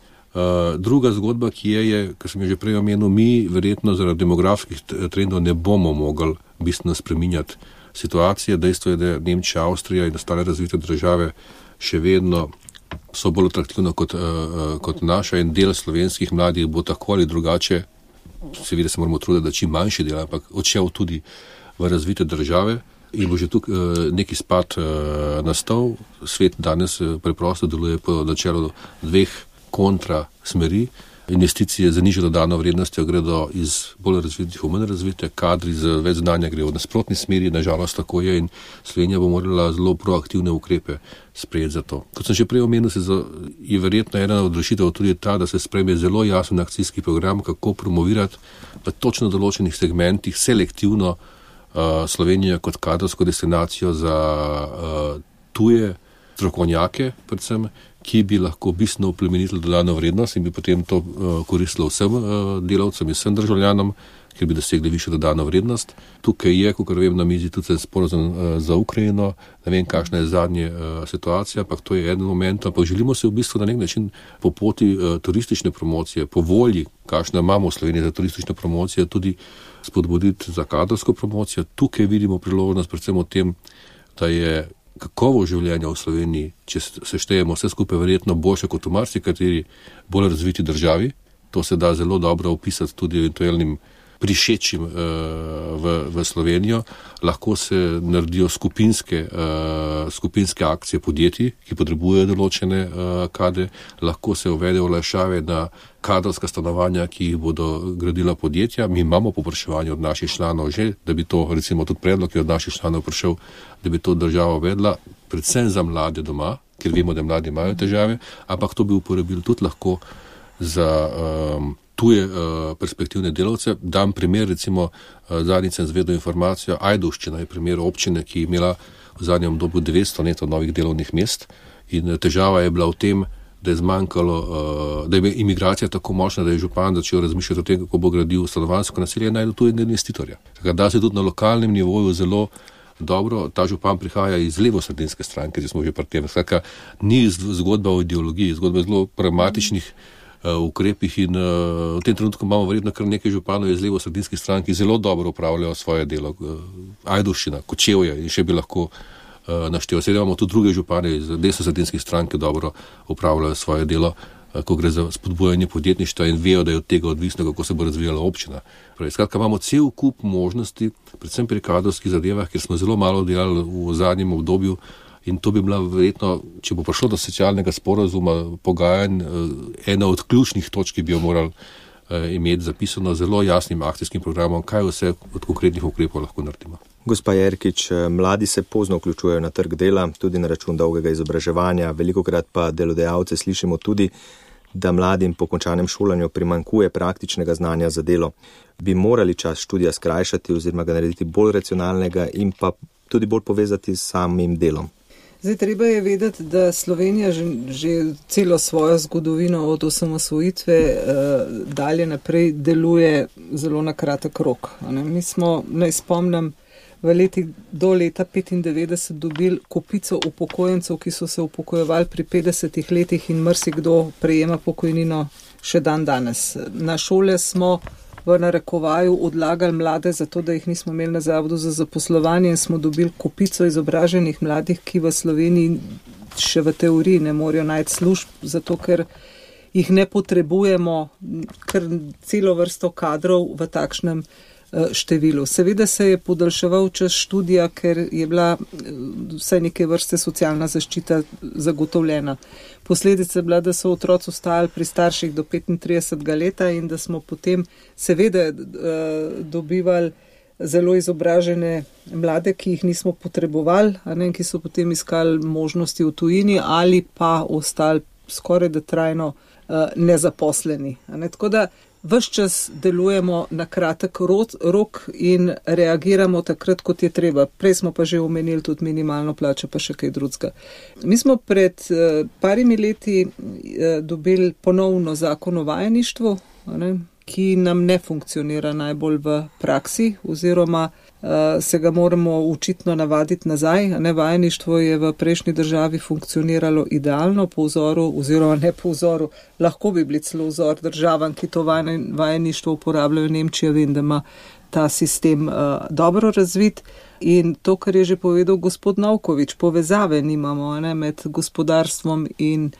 [SPEAKER 3] Druga zgodba, ki je, kar sem že prej omenil, mi verjetno zaradi demografskih trendov ne bomo mogli bistveno spreminjati situacije. Dejstvo je, da Nemčija, Avstrija in ostale razvite države še vedno so bolj atraktivno kot naša in del slovenskih mladih bo tako ali drugače, seveda se moramo truditi, da čim manjši del, ampak odšel tudi v razvite države in bo že tukaj neki spad nastal. Svet danes preprosto deluje po načelu dveh kontra smeri. Investicije za nižjo dodano vrednostjo gredo iz bolj razvitih v manj razvite, kadri z več znanja grejo v nasprotni smeri, nažalost tako je in Slovenija bo morala zelo proaktivne ukrepe sprejeti za to. Kot sem že prej omenil, je verjetno ena od rešitev tudi ta, da se sprejme zelo jasen akcijski program, kako promovirati v točno določenih segmentih selektivno Slovenijo kot kadrovsko destinacijo za tuje strokovnjake, predvsem, ki bi lahko bistveno oplemenitili dodano vrednost in bi potem to koristilo vsem delavcem in vsem državljanom, ker bi dosegli višjo dodano vrednost. Tukaj je, kakor vem, na mizi tudi sporazum za Ukrajino, ne vem, kakšna je zadnja situacija, ampak to je eden moment, ampak želimo se v bistvu na nek način po poti turistične promocije, po volji, kakšna imamo v Sloveniji za turistično promocijo, tudi spodbuditi za kadrovsko promocijo. Tukaj vidimo priložnost predvsem v tem, da je kakovost življenja v Sloveniji, če se štejemo vse skupaj, verjetno boljše kot v marsikateri bolj razviti državi. To se da zelo dobro opisati tudi eventualnim prišečim v Slovenijo. Lahko se naredijo skupinske akcije podjetij, ki potrebujejo določene kadre, lahko se uvedejo olajšave na kadrovska stanovanja, ki jih bodo gradila podjetja. Mi imamo povpraševanje od naših članov že, da bi to, recimo tudi predlog je od naših članov prišel, da bi to država uvedla, predvsem za mlade doma, ker vemo, da mladi imajo težave, ampak to bi uporabili tudi lahko za tuje perspektivne delavce. Dam primer, recimo zadnjič sem zvedel informacijo, Ajdovščina je primer občine, ki je imela v zadnjem obdobju 900 neto novih delovnih mest in težava je bila v tem, da je zmanjkalo, da je imigracija tako močna, da je župan začel razmišljati o tem, kako bo gradil stanovanjsko naselje in najdu tujega investitorja. Tako da se tudi na lokalnem nivoju zelo dobro, ta župan prihaja iz levosredinske stranke, če smo že pri tem. Skratka, ni zgodba o ideologiji, zgodba je zelo pragmatičnih ukrepih in v tem trenutku imamo verjetno kar nekaj županov iz levosredinskih strank, ki zelo dobro upravljajo svoje delo. Ajdovščina, Kočevje in še bi lahko naštel. Sedaj imamo tudi druge župane iz desnosredinskih strank, ki dobro upravljajo svoje delo, ko gre za spodbujanje podjetništva in vejo, da je od tega odvisno, kako se bo razvijala občina. Skratka, imamo cel kup možnosti, predvsem pri kadrovskih zadevah, ker smo zelo malo delali v zadnjem obdobju. In to bi bila verjetno, če bo prišlo do socialnega sporazuma, pogajanj, ena od ključnih točk, ki bi jo morali imeti zapisano zelo jasnim akcijskim programom, kaj vse od konkretnih ukrepov lahko naredimo.
[SPEAKER 1] Gospa Jerkič, mladi se pozno vključujejo na trg dela, tudi na račun dolgega izobraževanja, velikokrat pa delodajalce slišimo tudi, da mladim po končanem šolanju primanjkuje praktičnega znanja za delo. Bi morali čas študija skrajšati oziroma ga narediti bolj racionalnega in pa tudi bolj povezati s samim delom?
[SPEAKER 2] Zdaj, treba je vedeti, da Slovenija že celo svojo zgodovino od osamosvojitve dalje naprej deluje zelo na kratek rok. Mi smo, naj spomnim, v letih do leta 1995 dobili kopico upokojencev, ki so se upokojevali pri 50 letih in marsikdo prejema pokojnino še dan danes. Na šole smo v narekovaju odlagali mlade, zato da jih nismo imeli na zavodu za zaposlovanje in smo dobili kopico izobraženih mladih, ki v Sloveniji še v teoriji ne morejo najti služb, zato ker jih ne potrebujemo, ker celo vrsto kadrov v takšnem številu. Seveda se je podaljševal čas študija, ker je bila vsaj neke vrste socialna zaščita zagotovljena. Posledica je bila, da so otroci ostali pri starših do 35 leta in da smo potem seveda dobivali zelo izobražene mlade, ki jih nismo potrebovali, ki so potem iskali možnosti v tujini ali pa ostali skoraj da trajno nezaposleni. Tako da ves čas delujemo na kratek rok in reagiramo takrat, kot je treba. Prej smo pa že omenili tudi minimalno plačo, pa še kaj drugega. Mi smo pred parimi leti dobili ponovno zakon o vajeništvu, ki nam ne funkcionira najbolj v praksi, oziroma se ga moramo očitno navaditi nazaj. Vajeništvo je v prejšnji državi funkcioniralo idealno po vzoru, oziroma ne po vzoru, lahko bi bili celo vzor državam, ki to vajeništvo uporabljajo. Nemčija, vem, da ima ta sistem dobro razvit. In to, kar je že povedal gospod Novkovič, povezave nimamo med gospodarstvom in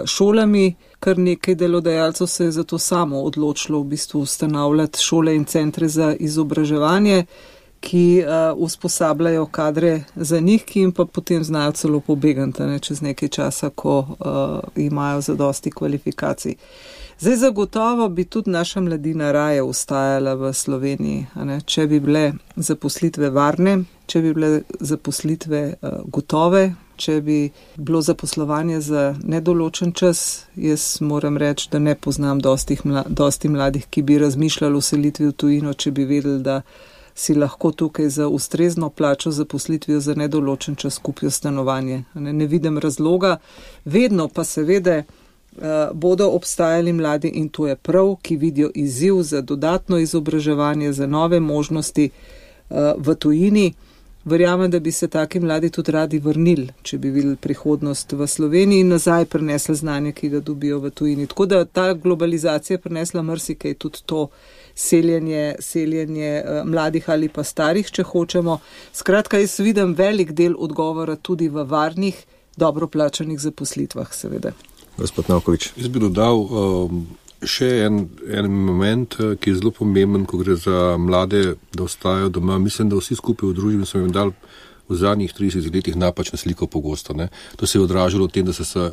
[SPEAKER 2] šolami. Kar nekaj delodajalcev se je zato samo odločilo v bistvu ustanavljati šole in centre za izobraževanje, ki usposabljajo kadre za njih, ki jim pa potem znajo celo pobegati čez nekaj časa, ko imajo zadosti kvalifikacij. Zdaj zagotovo bi tudi naša mladina raje ostajala v Sloveniji, če bi bile zaposlitve varne, če bi bile zaposlitve gotove, če bi bilo zaposlovanje za nedoločen čas. Jaz moram reči, da ne poznam dosti mladih, ki bi razmišljali o selitvi v tujino, če bi vedeli, da si lahko tukaj za ustrezno plačo zaposlitvijo za nedoločen čas kupijo stanovanje. Ne vidim razloga, vedno pa seveda bodo obstajali mladi in to je prav, ki vidijo izziv za dodatno izobraževanje, za nove možnosti v tujini. Verjamem, da bi se taki mladi tudi radi vrnili, če bi videli prihodnost v Sloveniji in nazaj prinesli znanje, ki ga dobijo v tujini. Tako da ta globalizacija je prinesla marsikaj, tudi to seljenje mladih ali pa starih, če hočemo. Skratka, jaz vidim velik del odgovora tudi v varnih, dobro plačanih zaposlitvah, seveda.
[SPEAKER 1] Gospod Novković.
[SPEAKER 3] Jaz bi dodal še en moment, ki je zelo pomemben, ko gre za mlade, da ostajajo doma. Mislim, da vsi skupaj v družbi smo jim dali v zadnjih 30 letih napačno sliko pogosto. To se je odražalo v tem, da se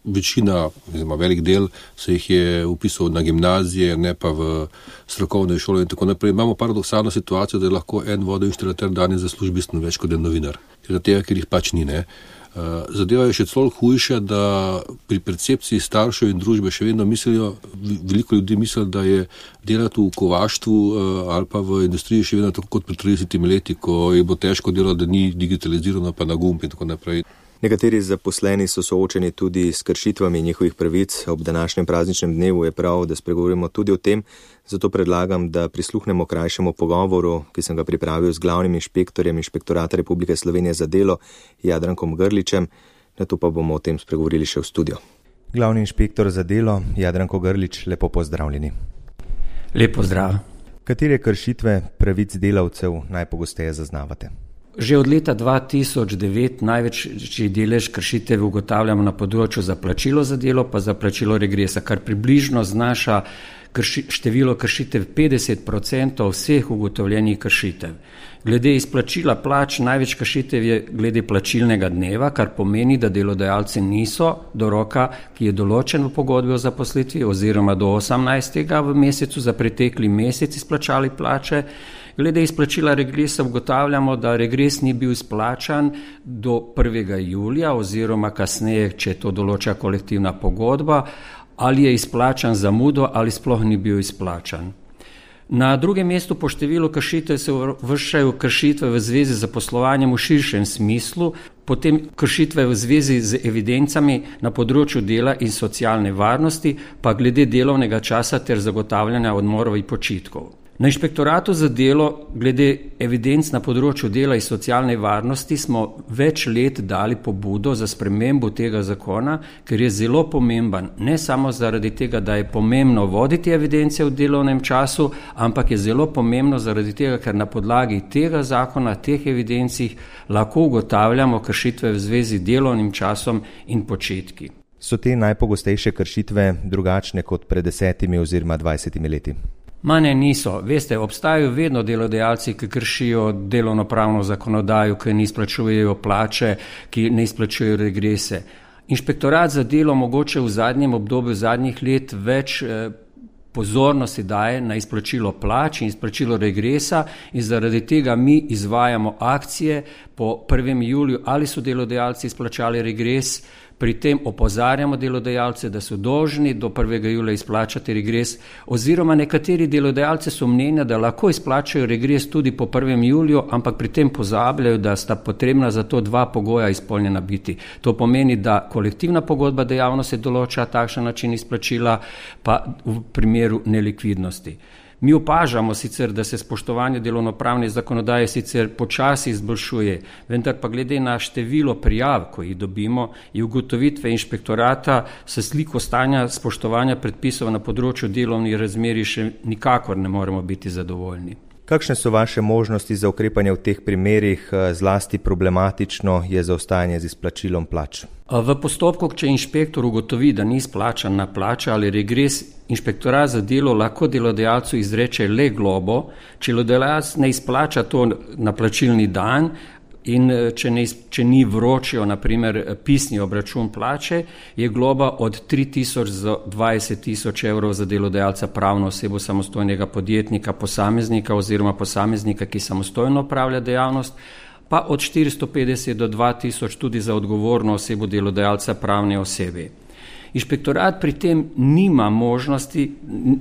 [SPEAKER 3] večina, oziroma velik del, se jih je upisal na gimnazije, ne pa v strokovne šole in tako naprej. Imamo paradoksalno situacijo, da je lahko en vodoinštalater danes zasluži bistveno več kot en novinar. Zato, ker jih pač ni, Zadeva je še celo hujša, da pri percepciji staršev in družbe še vedno mislijo, veliko ljudi misli, da je delati v kovaštvu ali pa v industriji še vedno tako kot pred 30 leti, ko je bo težko delati, da ni digitalizirano, pa na gumb in tako naprej.
[SPEAKER 1] Nekateri zaposleni so soočeni tudi s kršitvami njihovih pravic. Ob današnjem prazničnem dnevu je prav, da spregovorimo tudi o tem, zato predlagam, da prisluhnemo krajšemu pogovoru, ki sem ga pripravil z glavnim inšpektorjem Inšpektorata Republike Slovenije za delo, Jadrankom Grličem, nato pa bomo o tem spregovorili še v studio. Glavni inšpektor za delo, Jadranko Grlič, lepo pozdravljeni.
[SPEAKER 4] Lep pozdrav.
[SPEAKER 1] Katere kršitve pravic delavcev najpogosteje zaznavate?
[SPEAKER 4] Že od leta 2009 največji delež kršitev ugotavljamo na področju za plačilo za delo pa za plačilo regresa, kar približno znaša število kršitev 50% vseh ugotovljenih kršitev. Glede izplačila plač največ kršitev je glede plačilnega dneva, kar pomeni, da delodajalci niso do roka, ki je določen v pogodbi o zaposlitvi oziroma do 18. v mesecu za pretekli mesec izplačali plače. Glede izplačila regresa ugotavljamo, da regres ni bil izplačan do 1. julija oziroma kasneje, če to določa kolektivna pogodba, ali je izplačan zamudo ali sploh ni bil izplačan. Na drugem mestu po številu kršitev se uvrščajo kršitve v zvezi z zaposlovanjem v širšem smislu, potem kršitve v zvezi z evidencami na področju dela in socialne varnosti, pa glede delovnega časa ter zagotavljanja odmorov in počitkov. Na Inšpektoratu za delo glede evidenc na področju dela in socialne varnosti smo več let dali pobudo za spremembo tega zakona, ker je zelo pomemben, ne samo zaradi tega, da je pomembno voditi evidence v delovnem času, ampak je zelo pomembno zaradi tega, ker na podlagi tega zakona, teh evidencih lahko ugotavljamo kršitve v zvezi z delovnim časom in početki.
[SPEAKER 1] So te najpogostejše kršitve drugačne kot pred 10 oziroma 20 leti?
[SPEAKER 4] Ne, niso. Veste, obstajajo vedno delodajalci, ki kršijo delovnopravno zakonodajo, ki ne izplačujejo plače, ki ne izplačujejo regrese. Inšpektorat za delo mogoče v zadnjem obdobju zadnjih let več pozornosti daje na izplačilo plač in izplačilo regresa in zaradi tega mi izvajamo akcije po 1. juliju, ali so delodajalci izplačali regres. Pri tem opozarjamo delodajalce, da so dolžni do 1. julija izplačati regres, oziroma nekateri delodajalci so mnenja, da lahko izplačajo regres tudi po 1. juliju, ampak pri tem pozabljajo, da sta potrebna za to 2 pogoja izpolnjena biti. To pomeni, da kolektivna pogodba dejavnosti določa takšen način izplačila, pa v primeru nelikvidnosti. Mi opažamo sicer, da se spoštovanje delovnopravne zakonodaje sicer počasi izboljšuje, vendar pa glede na število prijav, ko jih dobimo, in ugotovitve inšpektorata s sliko stanja spoštovanja predpisov na področju delovnih razmerij še nikakor ne moremo biti zadovoljni.
[SPEAKER 1] Kakšne so vaše možnosti za ukrepanje v teh primerih? Zlasti problematično je zaostajanje z izplačilom plač.
[SPEAKER 4] V postopku, če inšpektor ugotovi, da ni izplačana plača ali regres, Inšpektorat za delo lahko delodajalcu izreče le globo, če delodajalec ne izplača to na plačilni dan in če ni vročil, na primer, pisni obračun plače, je globa od 3.000 do 20.000 evrov za delodajalca, pravno osebo, samostojnega podjetnika, posameznika oziroma posameznika, ki samostojno opravlja dejavnost, pa od 450 do 2.000 tudi za odgovorno osebo delodajalca, pravne osebe. Inšpektorat pri tem nima možnosti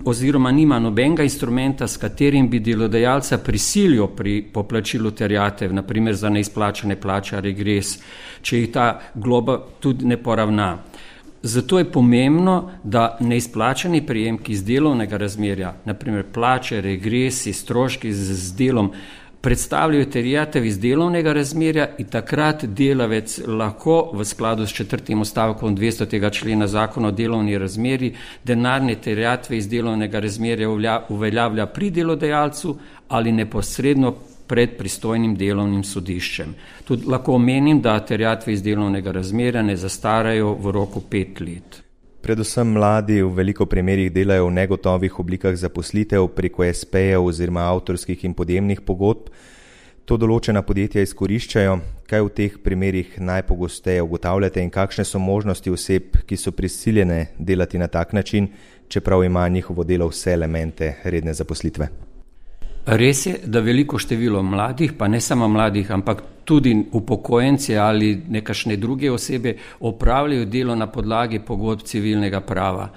[SPEAKER 4] oziroma nima nobenega instrumenta, s katerim bi delodajalca prisilil pri poplačilu terjatev, naprimer za neizplačane plače, regres, če jih ta globa tudi ne poravna. Zato je pomembno, da neizplačani prejemki iz delovnega razmerja, naprimer plače, regresi, stroški z delom, predstavljajo terjatev iz delovnega razmerja in takrat delavec lahko v skladu s 4. odstavkom 200. člena Zakona o delovni razmerji denarne terjatve iz delovnega razmerja uveljavlja pri delodajalcu ali neposredno pred pristojnim delovnim sodiščem. Tudi lahko omenim, da terjatve iz delovnega razmerja ne zastarajo v roku 5 let.
[SPEAKER 1] Predvsem mladi v veliko primerih delajo v negotovih oblikah zaposlitev preko SP-jev oziroma avtorskih in podjemnih pogodb. To določena podjetja izkoriščajo. Kaj v teh primerih najpogosteje ugotavljate in kakšne so možnosti oseb, ki so prisiljene delati na tak način, čeprav ima njihovo delo vse elemente redne zaposlitve?
[SPEAKER 4] Res je, da veliko število mladih, pa ne samo mladih, ampak tudi upokojenci ali nekašne druge osebe opravljajo delo na podlagi pogodb civilnega prava.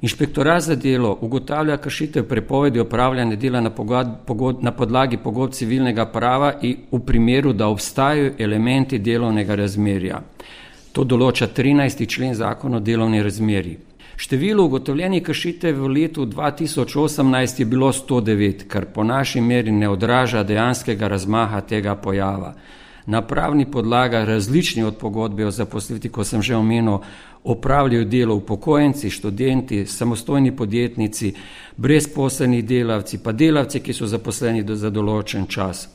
[SPEAKER 4] Inšpektorat za delo ugotavlja kršitev prepovedi opravljanja dela na podlagi pogodb civilnega prava in v primeru, da obstajajo elementi delovnega razmerja. To določa 13. člen Zakona o delovni razmerji. Število ugotovljenih kršitev v letu 2018 je bilo 109, kar po naši meri ne odraža dejanskega razmaha tega pojava. Na pravni podlagi različni od pogodbe o zaposlitvi, ko sem že omenil, opravljajo delo upokojenci, študenti, samostojni podjetnici, brezposelni delavci, pa delavci, ki so zaposleni za določen čas.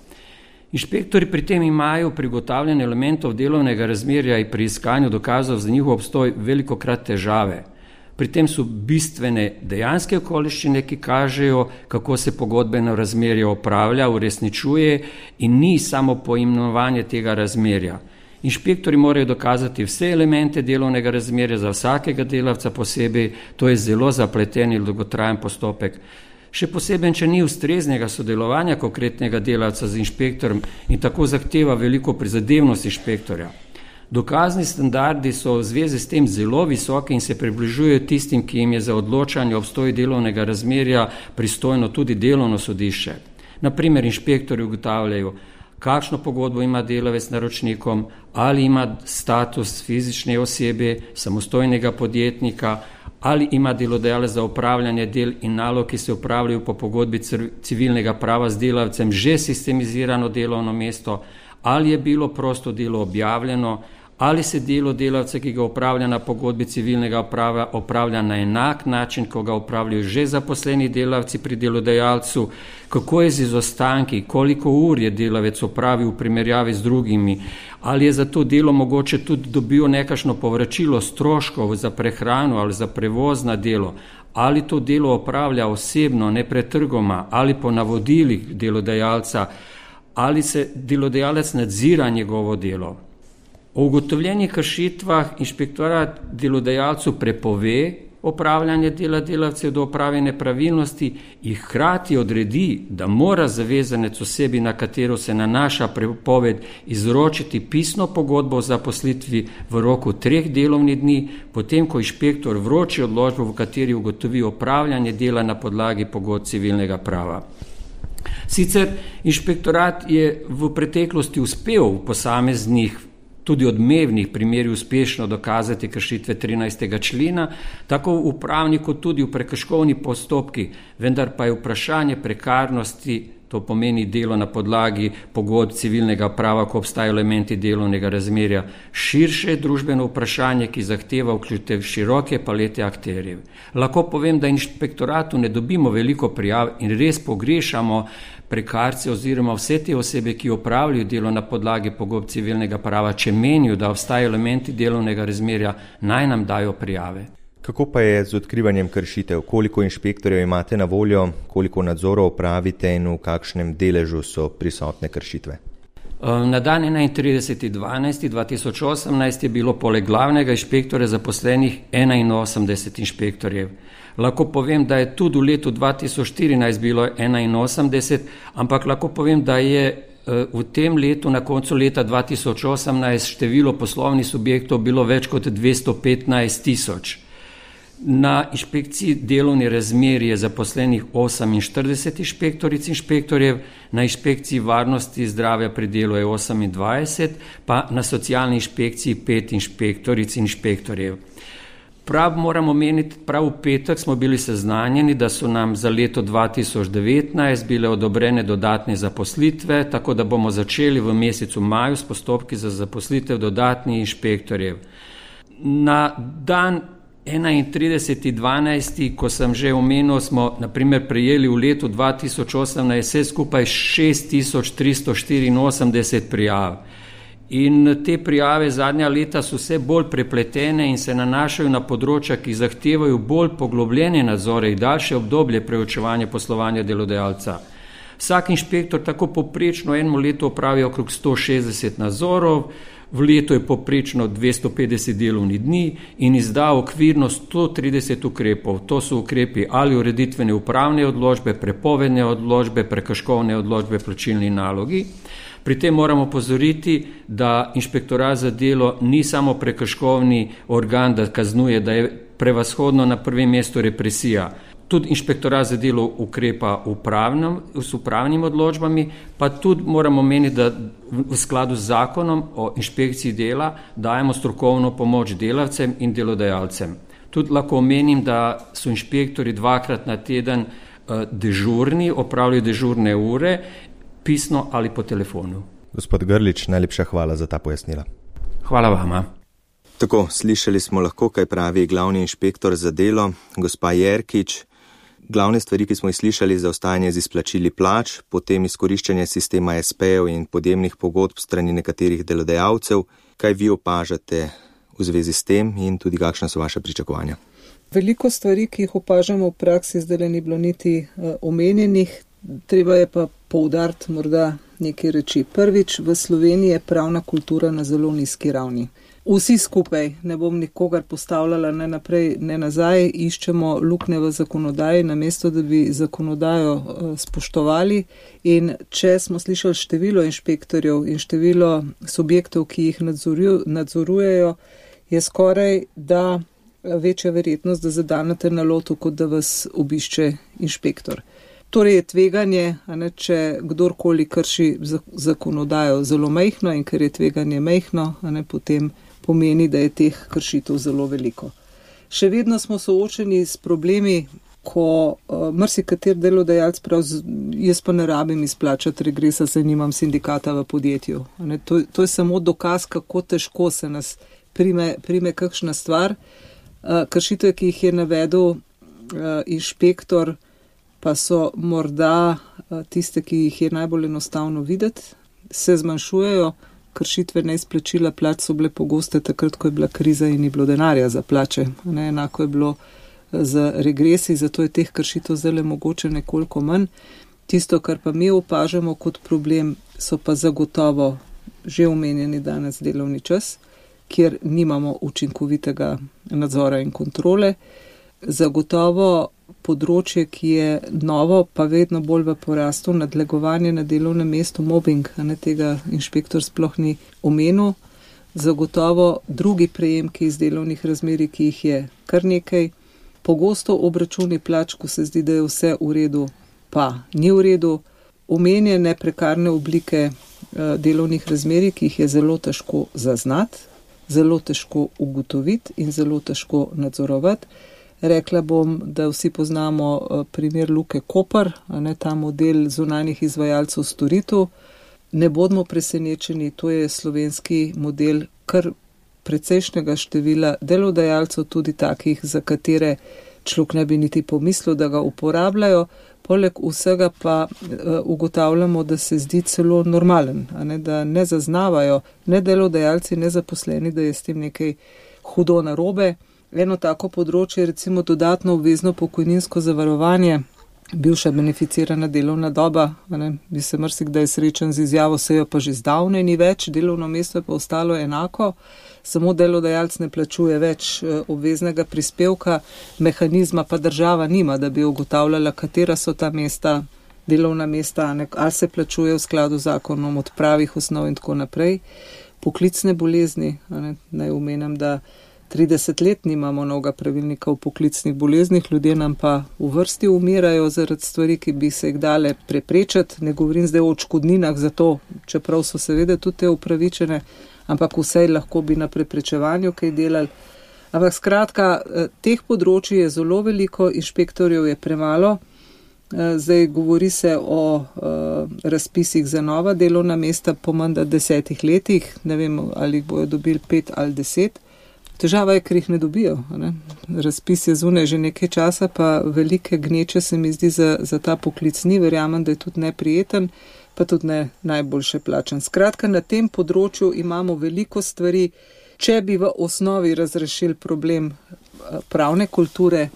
[SPEAKER 4] Inšpektori pri tem imajo pri ugotavljanju elementov delovnega razmerja in pri iskanju dokazov za njihov obstoj velikokrat težave. Pri tem so bistvene dejanske okoliščine, ki kažejo, kako se pogodbeno razmerje opravlja, uresničuje in ni samo poimenovanje tega razmerja. Inšpektori morajo dokazati vse elemente delovnega razmerja za vsakega delavca posebej, to je zelo zapleten in dolgotrajen postopek. Še posebej, če ni ustreznega sodelovanja konkretnega delavca z inšpektorjem in tako zahteva veliko prizadevnost inšpektorja. Dokazni standardi so v zvezi s tem zelo visoki in se približujejo tistim, ki jim je za odločanje o obstoju delovnega razmerja pristojno tudi delovno sodišče. Naprimer, inšpektorji ugotavljajo, kakšno pogodbo ima delavec s naročnikom, ali ima status fizične osebe, samostojnega podjetnika, ali ima delodajalec za opravljanje del in nalog, ki se opravljajo po pogodbi civilnega prava z delavcem, že sistemizirano delovno mesto, ali je bilo prosto delo objavljeno, ali se delo delavca, ki ga opravlja na pogodbi civilnega prava, opravlja na enak način, ko ga opravljajo že zaposleni delavci pri delodajalcu, kako je z izostanki, koliko ur je delavec opravil v primerjavi z drugimi, ali je za to delo mogoče tudi dobil nekakšno povračilo stroškov za prehrano ali za prevoz na delo, ali to delo opravlja osebno, nepretrgoma, ali po navodilih delodajalca, ali se delodajalec nadzira njegovo delo. O ugotovljenih kršitvah inšpektorat delodajalcu prepove opravljanje dela delavcev do opravljene pravilnosti in hkrati odredi, da mora zavezanec osebi, na katero se nanaša prepoved, izročiti pisno pogodbo o zaposlitvi v roku 3 delovnih dni, potem ko inšpektor vroči odločbo, v kateri ugotovi opravljanje dela na podlagi pogodb civilnega prava. Sicer inšpektorat je v preteklosti uspel v posameznih tudi odmevnih primerih uspešno dokazati kršitve 13. člena, tako v upravni kot tudi v prekrškovni postopki, vendar pa je vprašanje prekarnosti, to pomeni delo na podlagi pogodb civilnega prava, ko obstajajo elementi delovnega razmerja, širše družbeno vprašanje, ki zahteva vključitev široke palete akterjev. Lahko povem, da inšpektoratu ne dobimo veliko prijav in res pogrešamo prekarce oziroma vse te osebe, ki opravljajo delo na podlagi pogodb civilnega prava, če menijo, da obstajajo elementi delovnega razmerja, naj nam dajo prijave.
[SPEAKER 1] Kako pa je z odkrivanjem kršitev? Koliko inšpektorjev imate na voljo, koliko nadzorov opravite in v kakšnem deležu so prisotne kršitve?
[SPEAKER 4] Na dan 31.12.2018 je bilo poleg glavnega inšpektorja zaposlenih 81 inšpektorjev. Lahko povem, da je tudi v letu 2014 bilo 81, ampak lahko povem, da je v tem letu, na koncu leta 2018, število poslovnih subjektov bilo več kot 215 000. Na inšpekciji delovni razmer je zaposlenih 48 inšpektoric in inšpektorjev, na inšpekciji varnosti zdravja pri delu je 28, pa na socialni inšpekciji 5 inšpektoric in inšpektorjev. Moram omeniti, prav v petek smo bili seznanjeni, da so nam za leto 2019 bile odobrene dodatne zaposlitve, tako da bomo začeli v mesecu maju s postopki za zaposlitev dodatnih inšpektorjev. Na dan 31.12., ko sem že omenil, smo naprimer prejeli v letu 2018 vse skupaj 6384 prijav. In te prijave zadnja leta so vse bolj prepletene in se nanašajo na področja, ki zahtevajo bolj poglobljene nadzore in daljše obdobje preučevanja poslovanja delodajalca. Vsak inšpektor tako poprečno eno leto opravi okrog 160 nadzorov, v letu je poprečno 250 delovnih dni in izda okvirno 130 ukrepov. To so ukrepi ali ureditvene upravne odločbe, prepovedne odločbe, prekrškovne odločbe, plačilni nalogi. Pri tem moramo opozoriti, da inšpektorat za delo ni samo prekrškovni organ, da kaznuje, da je prevashodno na prvem mestu represija. Tudi inšpektorat za delo ukrepa s upravnimi odločbami, pa tudi moramo meniti, da v skladu z zakonom o inšpekciji dela dajemo strokovno pomoč delavcem in delodajalcem. Tudi lahko omenim, da so inšpektori 2-krat na teden dežurni, opravljajo dežurne ure, pisno ali po telefonu.
[SPEAKER 1] Gospod Grlič, najlepša hvala za ta pojasnila.
[SPEAKER 4] Hvala vama.
[SPEAKER 1] Tako, slišali smo lahko, kaj pravi glavni inšpektor za delo, gospa Jerkič. Glavne stvari, ki smo jih slišali, zaostajanje z izplačili plač, potem izkoriščanje sistema SP-jev in podjemnih pogodb strani nekaterih delodajalcev. Kaj vi opažate v zvezi s tem in tudi kakšna so vaše pričakovanja?
[SPEAKER 2] Veliko stvari, ki jih opažamo v praksi, zdaj ni bilo niti omenjenih. Treba je pa poudariti morda nekaj reči. Prvič, v Sloveniji je pravna kultura na zelo nizki ravni. Vsi skupaj, ne bom nikogar postavljala ne naprej, ne nazaj, iščemo luknje v zakonodaji, namesto da bi zakonodajo spoštovali. In če smo slišali število inšpektorjev in število subjektov, ki jih nadzorujejo, je skoraj da večja verjetnost, da zadanete na lotu, kot da vas obišče inšpektor. Torej je tveganje, če kdorkoli krši zakonodajo zelo majhno in ker je tveganje majhno, potem pomeni, da je teh kršitev zelo veliko. Še vedno smo soočeni s problemi, ko marsikater delodajalec jaz pa ne rabim izplačati regresa, saj nimam sindikata v podjetju. To je samo dokaz, kako težko se nas prime kakšna stvar. Kršitve, ki jih je navedel inšpektor, pa so morda tiste, ki jih je najbolj enostavno videti, se zmanjšujejo. Kršitve neizplačila plač so bile pogoste takrat, ko je bila kriza in ni bilo denarja za plače. Enako je bilo z regresi, zato je teh kršitev zdaj mogoče nekoliko manj. Tisto, kar pa mi opažamo kot problem, so pa zagotovo že omenjeni danes delovni čas, kjer nimamo učinkovitega nadzora in kontrole. Zagotovo področje, ki je novo, pa vedno bolj v porastu, nadlegovanje na delovnem mestu, mobbing, tega inšpektor sploh ni omenil. Zagotovo drugi prejemki iz delovnih razmerij, ki jih je kar nekaj. Pogosto obračuni plač, ko se zdi, da je vse v redu, pa ni v redu. Omenjene prekarne oblike delovnih razmerij, ki jih je zelo težko zaznati, zelo težko ugotoviti in zelo težko nadzorovati. Rekla bom, da vsi poznamo primer Luke Koper, ta model zunanjih izvajalcev storitev. Ne bodimo presenečeni, to je slovenski model kar precejšnjega števila delodajalcev, tudi takih, za katere človek ne bi niti pomislil, da ga uporabljajo. Poleg vsega pa ugotavljamo, da se zdi celo normalen, da ne zaznavajo ne delodajalci, ne zaposleni, da je s tem nekaj hudo narobe. Eno tako področje je recimo dodatno obvezno pokojninsko zavarovanje, bivša beneficirana delovna doba, bi se marsikdaj srečen z izjavo, se jo pa že zdavnaj ni več, delovno mesto je pa ostalo enako, samo delodajalec ne plačuje več obveznega prispevka, mehanizma pa država nima, da bi ugotavljala, katera so ta mesta, delovna mesta, ali se plačuje v skladu z zakonom od pravih osnov in tako naprej. Poklicne bolezni, naj omenim, da 30 let nimamo novega pravilnika o poklicnih boleznih, ljudje nam pa v vrsti umirajo zaradi stvari, ki bi se jih dale preprečiti. Ne govorim zdaj o odškodninah za to, čeprav so seveda tudi te upravičene, ampak vsej lahko bi na preprečevanju kaj delali. Ampak skratka, teh področji je zelo veliko, inšpektorjev je premalo. Zdaj govori se o razpisih za nova delovna mesta po manj 10 letih, ne vem, ali bojo dobili 5 ali 10. Težava je, ker jih ne dobijo. Ne? Razpis je zunaj že nekaj časa, pa velike gneče se mi zdi za ta poklic ni, verjamem, da je tudi neprijeten, pa tudi ne najboljše plačan. Skratka, na tem področju imamo veliko stvari. Če bi v osnovi razrešili problem pravne kulture,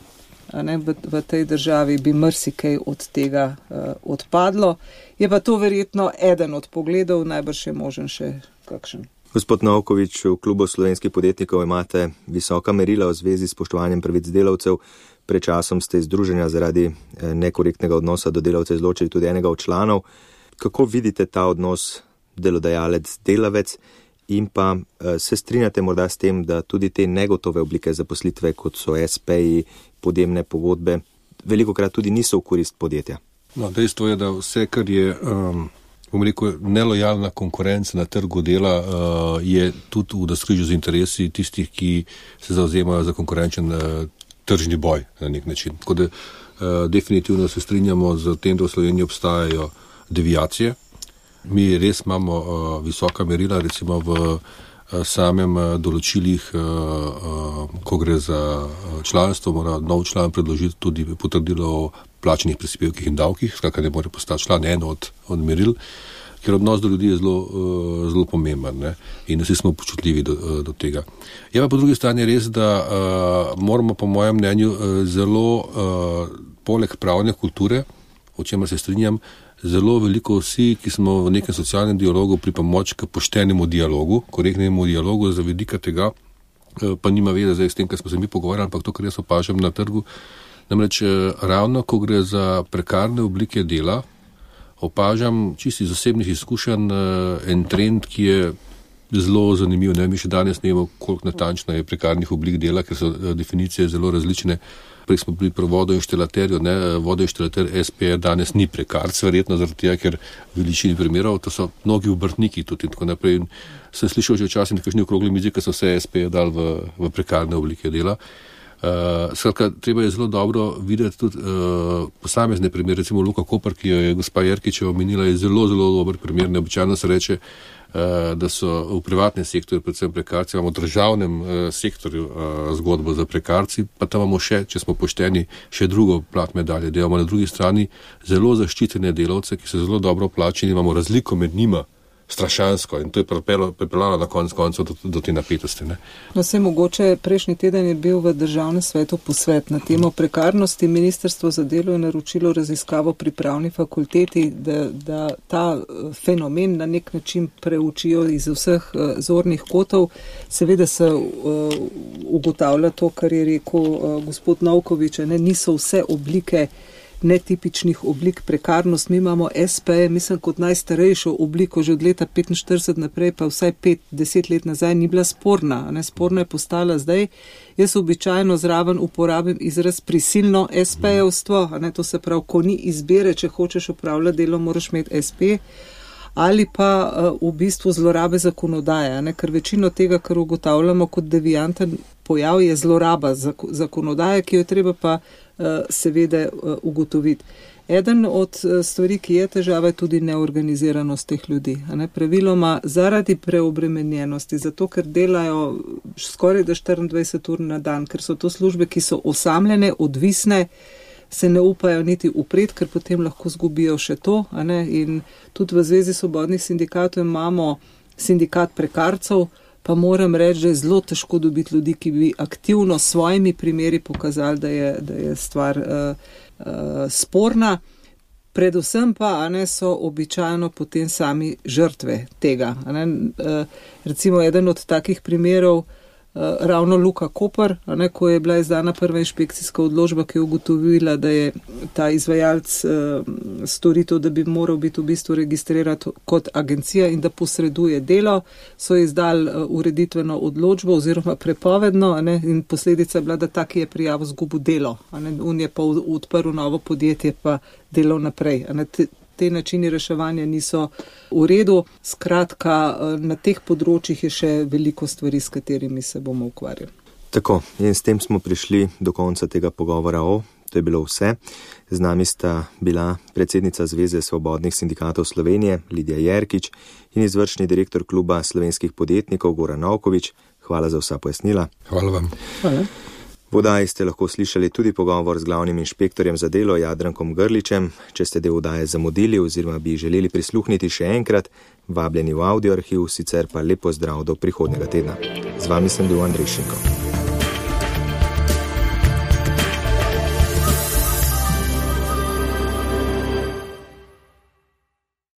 [SPEAKER 2] v tej državi, bi marsikaj od tega odpadlo. Je pa to verjetno eden od pogledov, najbrž je možen še kakšen.
[SPEAKER 1] Gospod Novkovič, v klubu slovenskih podjetnikov imate visoka merila v zvezi s spoštovanjem pravic delavcev. Pred časom ste iz združenja zaradi nekorektnega odnosa do delavcev izločili tudi enega od članov. Kako vidite ta odnos delodajalec-delavec in pa se strinjate morda s tem, da tudi te negotove oblike zaposlitve, kot so SP-ji, podjemne pogodbe, velikokrat tudi niso v korist podjetja?
[SPEAKER 3] No, dejstvo je, da vse, kar je nelojalna konkurenca na trgu dela, je tudi v navskrižju z interesi tistih, ki se zavzemajo za konkurenčen tržni boj na nek način. Tako da definitivno se strinjamo z tem, da v Sloveniji obstajajo deviacije. Mi res imamo visoka merila, recimo v samem določilih, ko gre za članstvo, mora nov član predložiti tudi potrdilo o plačenih prispevkih in davkih, skratka ne more postati član, eno od meril, ker odnos do ljudi je zelo pomemben, ne? In vsi smo počutljivi do tega. Je pa po drugi strani res, da moramo po mojem mnenju zelo poleg pravne kulture, o čemer se strinjam, zelo veliko vsi, ki smo v nekem socialnem dialogu pripomoč k poštenemu dialogu, korektnemu dialogu za vidika tega, pa nima veze zdaj s tem, kar smo se mi pogovarjali, ampak to, kar jaz opažam na trgu. Namreč ravno, ko gre za prekarne oblike dela, opažam čisto iz osebnih izkušenj en trend, ki je zelo zanimiv. Mi še danes ne vemo, koliko natančno je prekarnih oblik dela, ker so definicije zelo različne. Prej smo bili pri vodoinštalaterju, vodoinštalater SPR danes ni prekarc, verjetno zaradi tega, ker v veličini primerov, to so mnogi obrtniki tudi in tako naprej. In sem slišal že včasih nekakšni okrogli mizi, ki so vse SPR dali v prekarne oblike dela. Skratka, treba je zelo dobro videti tudi posamezne primere, recimo Luka Koper, ki jo je gospa Jerkičeva omenila, je zelo, zelo dober primer. Neobičajno se reče, da so v privatnem sektorju, predvsem prekarci, imamo v državnem sektorju zgodbo za prekarci, pa tam imamo še, če smo pošteni, še drugo plat medalje. Da imamo na drugi strani zelo zaščitene delavce, ki so zelo dobro plačeni, imamo razliko med njima, strašansko, in to je pripeljalo na koncu do te napetosti. Ne?
[SPEAKER 2] No, se mogoče prejšnji teden je bil v državnem svetu posvet na temo prekarnosti. Ministrstvo za delo je naročilo raziskavo pri pravni fakulteti, da ta fenomen na nek način preučijo iz vseh zornih kotov. Seveda se ugotavlja to, kar je rekel gospod Novkovič, niso vse oblike netipičnih oblik prekarnost. Mi imamo SP, mislim, kot najstarejšo obliko že od leta 45 naprej, pa vsaj 5-10 let nazaj ni bila sporna. Sporna je postala zdaj. Jaz običajno zraven uporabim izraz prisilno SP-jevstvo, to se pravi, ko ni izbire, če hočeš opravljati delo, moraš imeti SP, ali pa v bistvu zlorabe zakonodaje, ker večino tega, kar ugotavljamo kot devianten pojav, je zloraba zakonodaje, ki jo treba pa seveda ugotoviti. Eden od stvari, ki je težava, je tudi neorganiziranost teh ljudi. Praviloma zaradi preobremenjenosti, zato ker delajo skoraj 24 ur na dan, ker so to službe, ki so osamljene, odvisne, se ne upajo niti upred, ker potem lahko zgubijo še to. In tudi v Zvezi svobodnih sindikatov imamo sindikat prekarcev, pa moram reči, da je zelo težko dobiti ljudi, ki bi aktivno s svojimi primeri pokazali, da je stvar sporna. Predvsem pa so običajno potem sami žrtve tega. Recimo eden od takih primerov, ravno Luka Koper, ko je bila izdana prva inšpekcijska odločba, ki je ugotovila, da je ta izvajalec storitev, da bi moral biti v bistvu registriran kot agencija in da posreduje delo, so izdali ureditveno odločbo oziroma prepovedno, in posledica je bila, da tak je prijavo zgubil delo. On je pa odprl novo podjetje, pa delal naprej. Te načini reševanja niso v redu. Skratka, na teh področjih je še veliko stvari, s katerimi se bomo ukvarjali.
[SPEAKER 1] Tako, in s tem smo prišli do konca tega pogovora to je bilo vse. Z nami sta bila predsednica Zveze svobodnih sindikatov Slovenije, Lidija Jerkič, in izvršni direktor kluba slovenskih podjetnikov, Goran Novković. Hvala za vsa pojasnila.
[SPEAKER 3] Hvala vam.
[SPEAKER 2] Hvala.
[SPEAKER 1] V oddaji ste lahko slišali tudi pogovor z glavnim inšpektorjem za delo Jadrankom Grličem. Če ste del oddaje zamudili oziroma bi želeli prisluhniti še enkrat, vabljeni v audio arhiv, sicer pa lep pozdrav do prihodnjega tedna. Z vami sem bil Andrej Šinko.